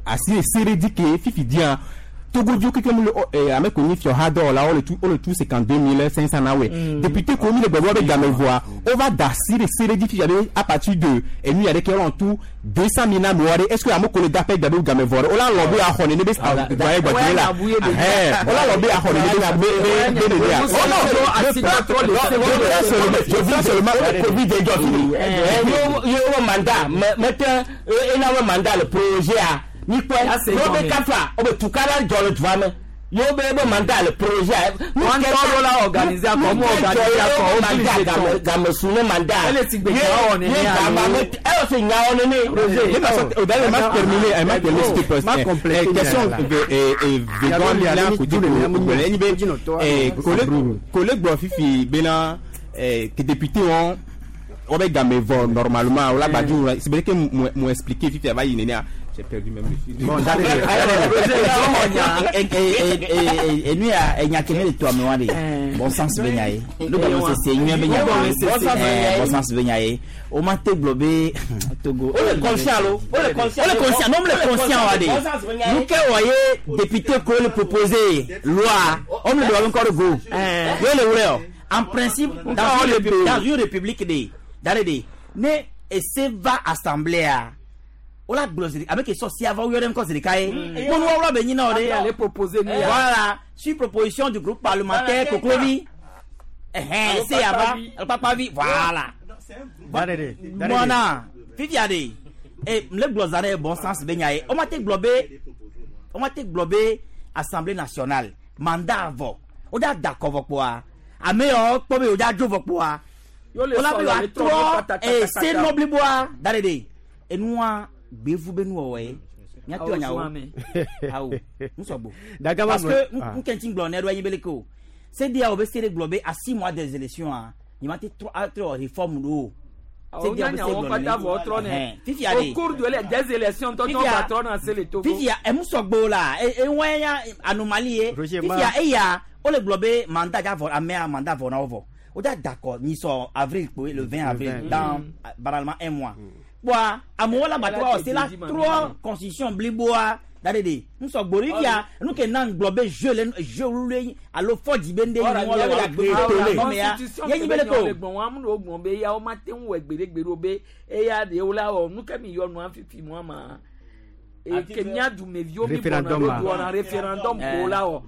asi esere di ke fifi dian Togo keke mu le ame ko nyi fiɔ ha dɔ la wo le tu wo le tu cinquante-deux mille cinq cents na wɛ député ko mi le gbɔgbɔ be game voa o va da si de seere di fi yabe à partir de enu yɛrɛ kɛ yɔrɔ tu deux cent mille na mi wɔre est ce que ame ko le da pɛ gabe game vɔ o la lɔ be axɔ ne be doyen gbɔdzi la ɛhɛn o la lɔ be axɔ ne be be be be de ya oh non je veux seulement Covid de jɔ fini ye wo mandat mɛ tɛ ena wo mandat le projet a. Ni kpɛ n'o bɛ kafa o bɛ tukara jɔ le dua me y'o bɛ bɛ mandat le projet. Wọn tọrọ la organiser akọ mu organiser akọ o mandat game game sun ne mandat. Ele ti gbèjà ọ ni ní àlọ. E yóò se nya ọ ni ní. O d'ailleurs ma terminer elle ma terminer s'il te plaît. Question vegan la kudu le ẹni bẹ collègue gbɔ fifi bena que député wọn wọ́n bɛ game vɔ normalement o la gbaju c'est vrai que mo expliquer fifi a va yi nene a. J'ai perdu même le fil. Bon, j'arrive. Et nous, il y a quelqu'un de toi, mais Bon sens be nya ye. Nu gɔme sese nyuie be nya ye. Bon sens be nya ye. O ma te gblɔ be Togo. O le conscient lo. O le conscient. O le conscient. Non, le conscient wa de. Nu ke wɔ ye député ko le proposer loi. On le doit encore go. Yo le wlɛ o. En principe, dans une république, dans une république de, dans de, ne ese va assemblée a. Ola gblɔ avec question si avant yɔrɔ ŋkɔ zirika ye. Mɔnu wɔwɔ bɛ ɲinɛ o de. Ale proposer ni ya. Voilà, sur proposition du groupe parlementaire Koklovi. Ɛhɛn, se yaba, Alpakpavi, voilà. Mɔna, fifia de, e le gblɔ zan ɖe bon sens bɛ nya ye. O ma te gblɔ be, o ma te gblɔ be Assemblée nationale mandat vɔ, o da da kɔ vɔ kpoa. Ame yɔ kpɔ be o da dzo vɔ kpoa. O la be wa trɔ e se nɔbliboa da de de. Enua gbevu be nuwɔwɔ ye míate wɔ nyawo awo nusɔgbo parce que nkɛntɛ gblɔ ne ɖo anyi bele ke o se dia o be se de gblɔ be à six mois des élections a nye ma te trɔ atrɔ réforme ɖo o se dia o be se gblɔ ne fifia de au cours de les des élections tɔtɔ ba trɔ na se le Togo fifia emusɔgbo la ewɔn ya anomalie ye fifia eya o le gblɔ be mandat dza vɔ amea mandat vɔ na wo vɔ o da d'accord nyisɔ avril kpoe le vingt avril dans banalement un mois. Boa, amewo la bato c'est la trois constitution bliboa dadede nous sommes Bolivia nous ke nan gblɔ be jeu le jeu le alo fɔdzi be nde yi wɔn la gbe tole mea ye nyi be le ko gbɔn wa mu do gbɔn be ya wo ma te ŋu wɔ gbeɖegbe ɖo be eya de wo la wɔ nu ke mi yɔ nua fifi mua ma ke mía dumeviwo mi bɔna ɖo wɔna référendum ko la wɔ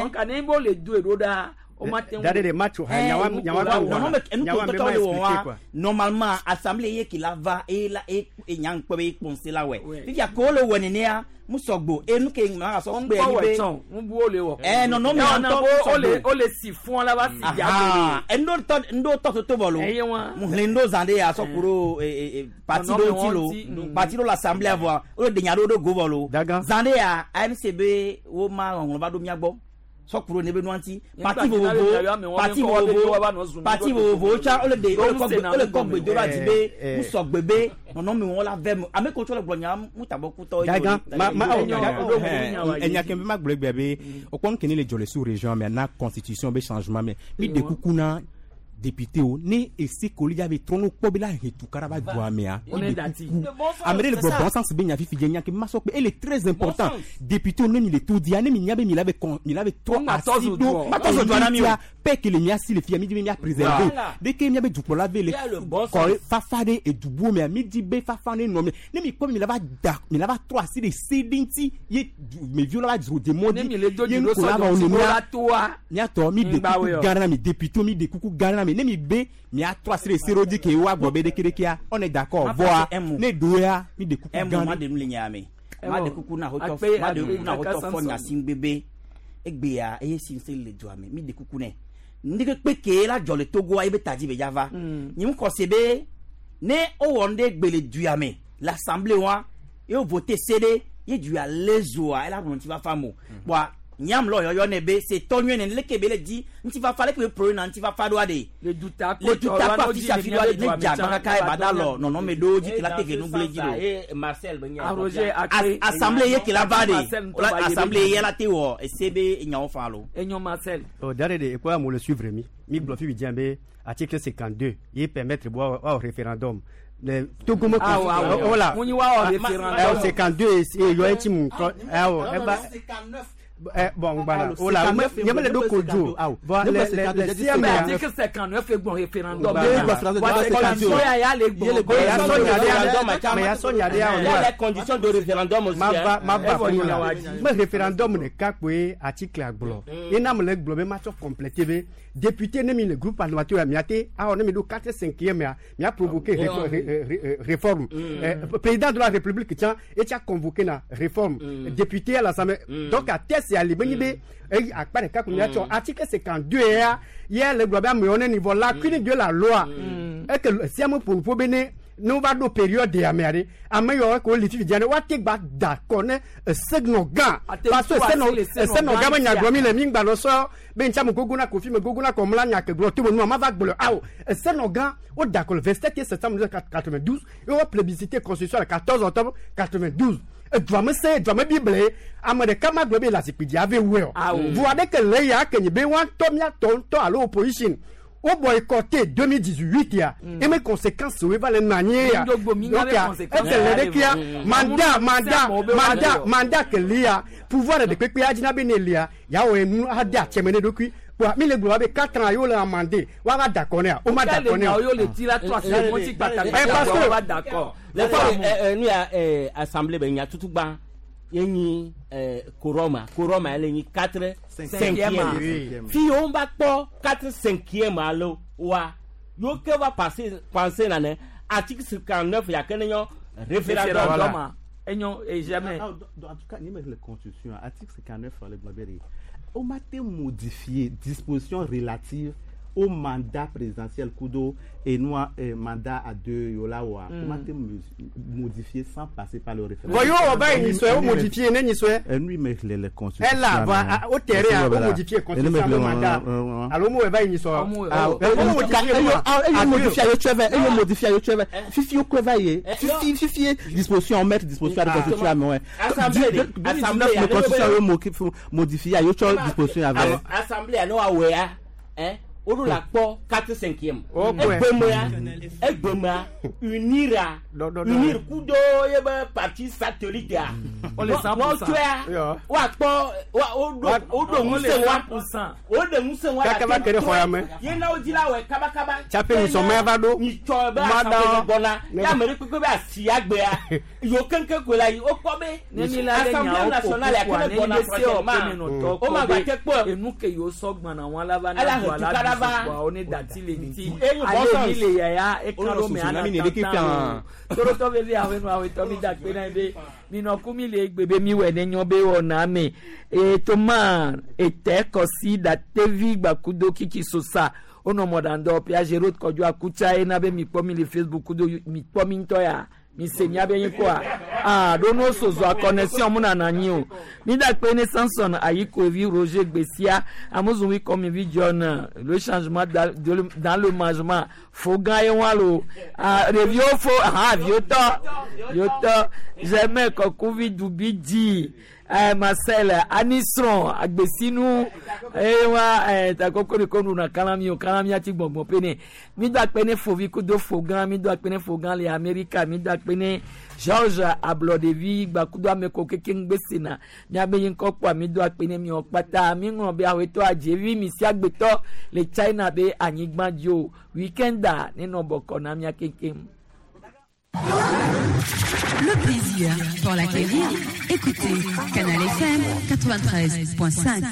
donc ane bo le do eɖo ɖa. Dade match nyawa nyawa nyawa nyawa normalement assemblée ye ki la va et la et nyang pe be ponse la we fifia ko le woni ne musogbo enu ke ma so pe ni be nbu o le wo eh non non mais o le o le si fún la ba si ja endo to ndo to to bolo mu hlendo zande ya so kuro parti do ti lo parti do l'assemblée avoir o de nya do do go bolo zande ya A M C B wo ma won ba do mi agbo sɔkuro ne be nuanti parti vovovo parti vovovo parti vovovo tsa o le de o le kɔ o le kɔ gbedo la di be musɔgbe be nɔnɔme wɔn la vɛ mu ame ko tsɔ le gblɔ nya mutabɔ kutɔ. Dagan ma ma enya kɛmɛ ma gblɔ egbe be o kpɔn kene le dzɔ le sous région mɛ na constitution be changement mɛ mi de kuku na député o ne ese koli ya be trɔnu kpɔ be la hetu karaba doa mea o de kuku ame ɖe le gbɔ bon sens be nya fifi dze nya ke ma sɔ kpe ele très important député o ne mi le to dia ne mi nya be mi la be kɔn mi la be trɔ asi do tia pɛ ke le mia si le fia mi di be mia préserver de ke mia be dukplɔla be le kɔre fafa ɖe edubuwo mea mi di be fafa ne nɔ me ne mi kpɔ mi la va da mi la va trɔ asi ɖe se ɖe ŋuti ye meviwo la va dzro de mɔ di ye ŋko la va wo ne mia miatɔ mi de kuku gã na mi député mi de kuku gã na mi ne mi be mi a trɔ asi ɖe se ɖo di ke wa gbɔ be ɖekeɖekea on est d'accord voa ne do ya mi de kuku gã ma de nu le nya me ma de kuku na hotɔ ma de kuku na hotɔ fɔ nyasingbebe egbea eye sinse le doa me mi de kuku nɛ ndeke kpeke la dzɔ le Togoa ebe tadzi be dzava nye mu kɔse be ne wowɔ nu ɖe gbe le dua me l'assemblée wa ye wo voté se ɖe ye dua le zoa ela gblɔ ŋutifafa mo kpoa nyam lɔ yɔyɔ ne be se tɔ nyuie ne leke be le di ŋutifafa leke be pro na ŋutifafa ɖoa de le duta le duta ko afisi afi ɖoa de ne dza agba kaka ye ba da lɔ nɔnɔme ɖewo dzi ke la te ke nugble dzi do assemblée ye ke la va de assemblée ye la te wɔ ese be nyawo fa lo. Enyo Marcel. Oh dare de ekwa mo le suivre mi mi gblɔ fi bi diɛ be article cinquante-deux ye permettre bo au référendum. Le Togo me voilà. Mun wa référendum. cinquante-deux et yo eti mu eh ba Eh, bon, voilà. Oh là, il y avait les deux codes. Voilà, les article cinquante-neuf est bon référendum. Il y a les conditions de référendum aussi. Ma ma mais référendum ne ka kwe article agblo. Et n'a me le globe match complété député ne mi le groupe parlementaire miate a on mi do quatre cinquième mi a provoqué réforme. Président de la République tiens et tu as convoqué la réforme député à l'Assemblée. Donc à test ali benyi be akpa ɖeka ko miatsɔ article cinquante-deux ya ye le gblɔ be amewo ne niveau lacune de la loi eke sia me ƒo nuƒo be ne ne wova ɖo période ya mea ɖe ame yawo ke wole fifi dzia ne woate gba da kɔ ne esenɔ gã parce que esenɔ esenɔ gã be nya gblɔ mi le mi ŋgba nɔ sɔ be ŋtsa me gogo na kofi me gogo na kɔmla nya ke gblɔ to me nua ma va gblɔ awo esenɔ gã wo da kɔ le vingt-sept septembre mille neuf cent quatre-vingt-douze ye wo plébiscité constitution le quatorze octobre quatre-vingt-douze. Edua me se edua me bible ame ɖeka ma gblɔ be le azikpui dzi ave wɔe o. Voa ɖeke le ya ke nye be woa ŋutɔ miatɔ ŋutɔ alo opposition wo boycotté deux mille dix-huit ya et mes conséquences wo va le nɔ anyi ya. Donc eke le ɖekia mandat mandat mandat mandat ke lia pouvoir de kpekpe adzina be ne lia ya wɔ enu ade atsɛme ne ɖokui. Mi le gblɔ be quatre ans yo le amandé wa va d'accord ne o ma d'accord ne o yo le ti la trois c'est mo ti kpata parce que va d'accord le fa nu ya assemblée be nya tutu gba ye nyi quorum quorum ele nyi quatre cinquième fi on va kpɔ quatre cinquième alo wa yo ke va passer penser na ne article cinquante-neuf ya ke ne nyo référendum enyo et jamais. En tout cas ni me le constitution article cinquante-neuf le gbabere on m'a été modifié disposition relative au mandat présidentiel kudo et nous eh, mandat à deux yola wa mm. on m'a été modifié sans passer par le référendum. Voyons on va y soit modifié né ni soit. Lui mais les les constitution. Elle là va au terrain on modifier constitution le mandat. Alors moi va y soit. Ah on modifier yo tu veux et modifier yo tu veux. Fifi yo quoi va y fifi fifi disposition mettre disposition à la constitution mais ouais. Assemblée assemblée constitution modifier yo tu disposition avec. Assemblée no awea hein o la kpɔ quatre cinquième. Egbemea egbemea unira unir kudo ye be parti satellite a. Wọ́n tsɔa wa kpɔ wa o do o do ŋusẽ wa o de ŋusẽ wa la kere xɔ ya me. Ye na wo dzi la wɔ kabakaba. Tsape nyisɔmɛ va ɖo. Nyitsɔ be assemblée gbɔna ya ame ɖe kpekpe be asi agbea yiwo keŋkeŋ koe la yi o kpɔ be assemblée nationale ya kele gbɔna prochainement o ma gba te kpɔ. Enu ke yiwo sɔ gbɔna wọn la va na do ala wa o ne dati le ŋuti ale mi le yaya ekan ɖo me ana tantan o torotɔ veve awenu awetɔ mi da kpe na be minɔku mi le egbe be mi wɔ ne nyɔ be wɔna me etoma ete kɔsi datevi gbakudo kiki sosa wonɔ mɔɖaŋdɔ piaget road kɔdzo akutsa ena be mi kpɔ mi le Facebook kudo mi kpɔ mi ŋutɔ ya mi se miabe nyi kɔa ah ɖo no sozo a connexion mu nana anyi o mi da kpe ne Samson Ayikovi Roger Gbessia Amuzunwi Kɔmivi John le changement dans le mangement fogan ye wa lo ah ɖeviwo fo ah viwo tɔ viwo tɔ Germain Kɔkuvi Dubi di eh, Marcel Anisron Agbesinu eh wa eh takoko de konu na kalami o kalami ati gbongbon pe ne mi do akpe ne fovi kudo fogan mi do akpe ne fogan le America mi do akpe ne George Ablodevi gbakudo ameko keke ngbese na mi abeyin kɔkɔ mi do akpe ne mi ɔkpata mi ŋlɔ be awetɔ adzevi mi si agbetɔ le China be anyigba dzi o weekenda nenɔ bɔkɔ na mia kekem. Le plaisir pour l'acquérir. Écoutez Canal F M quatre-vingt-treize point cinq.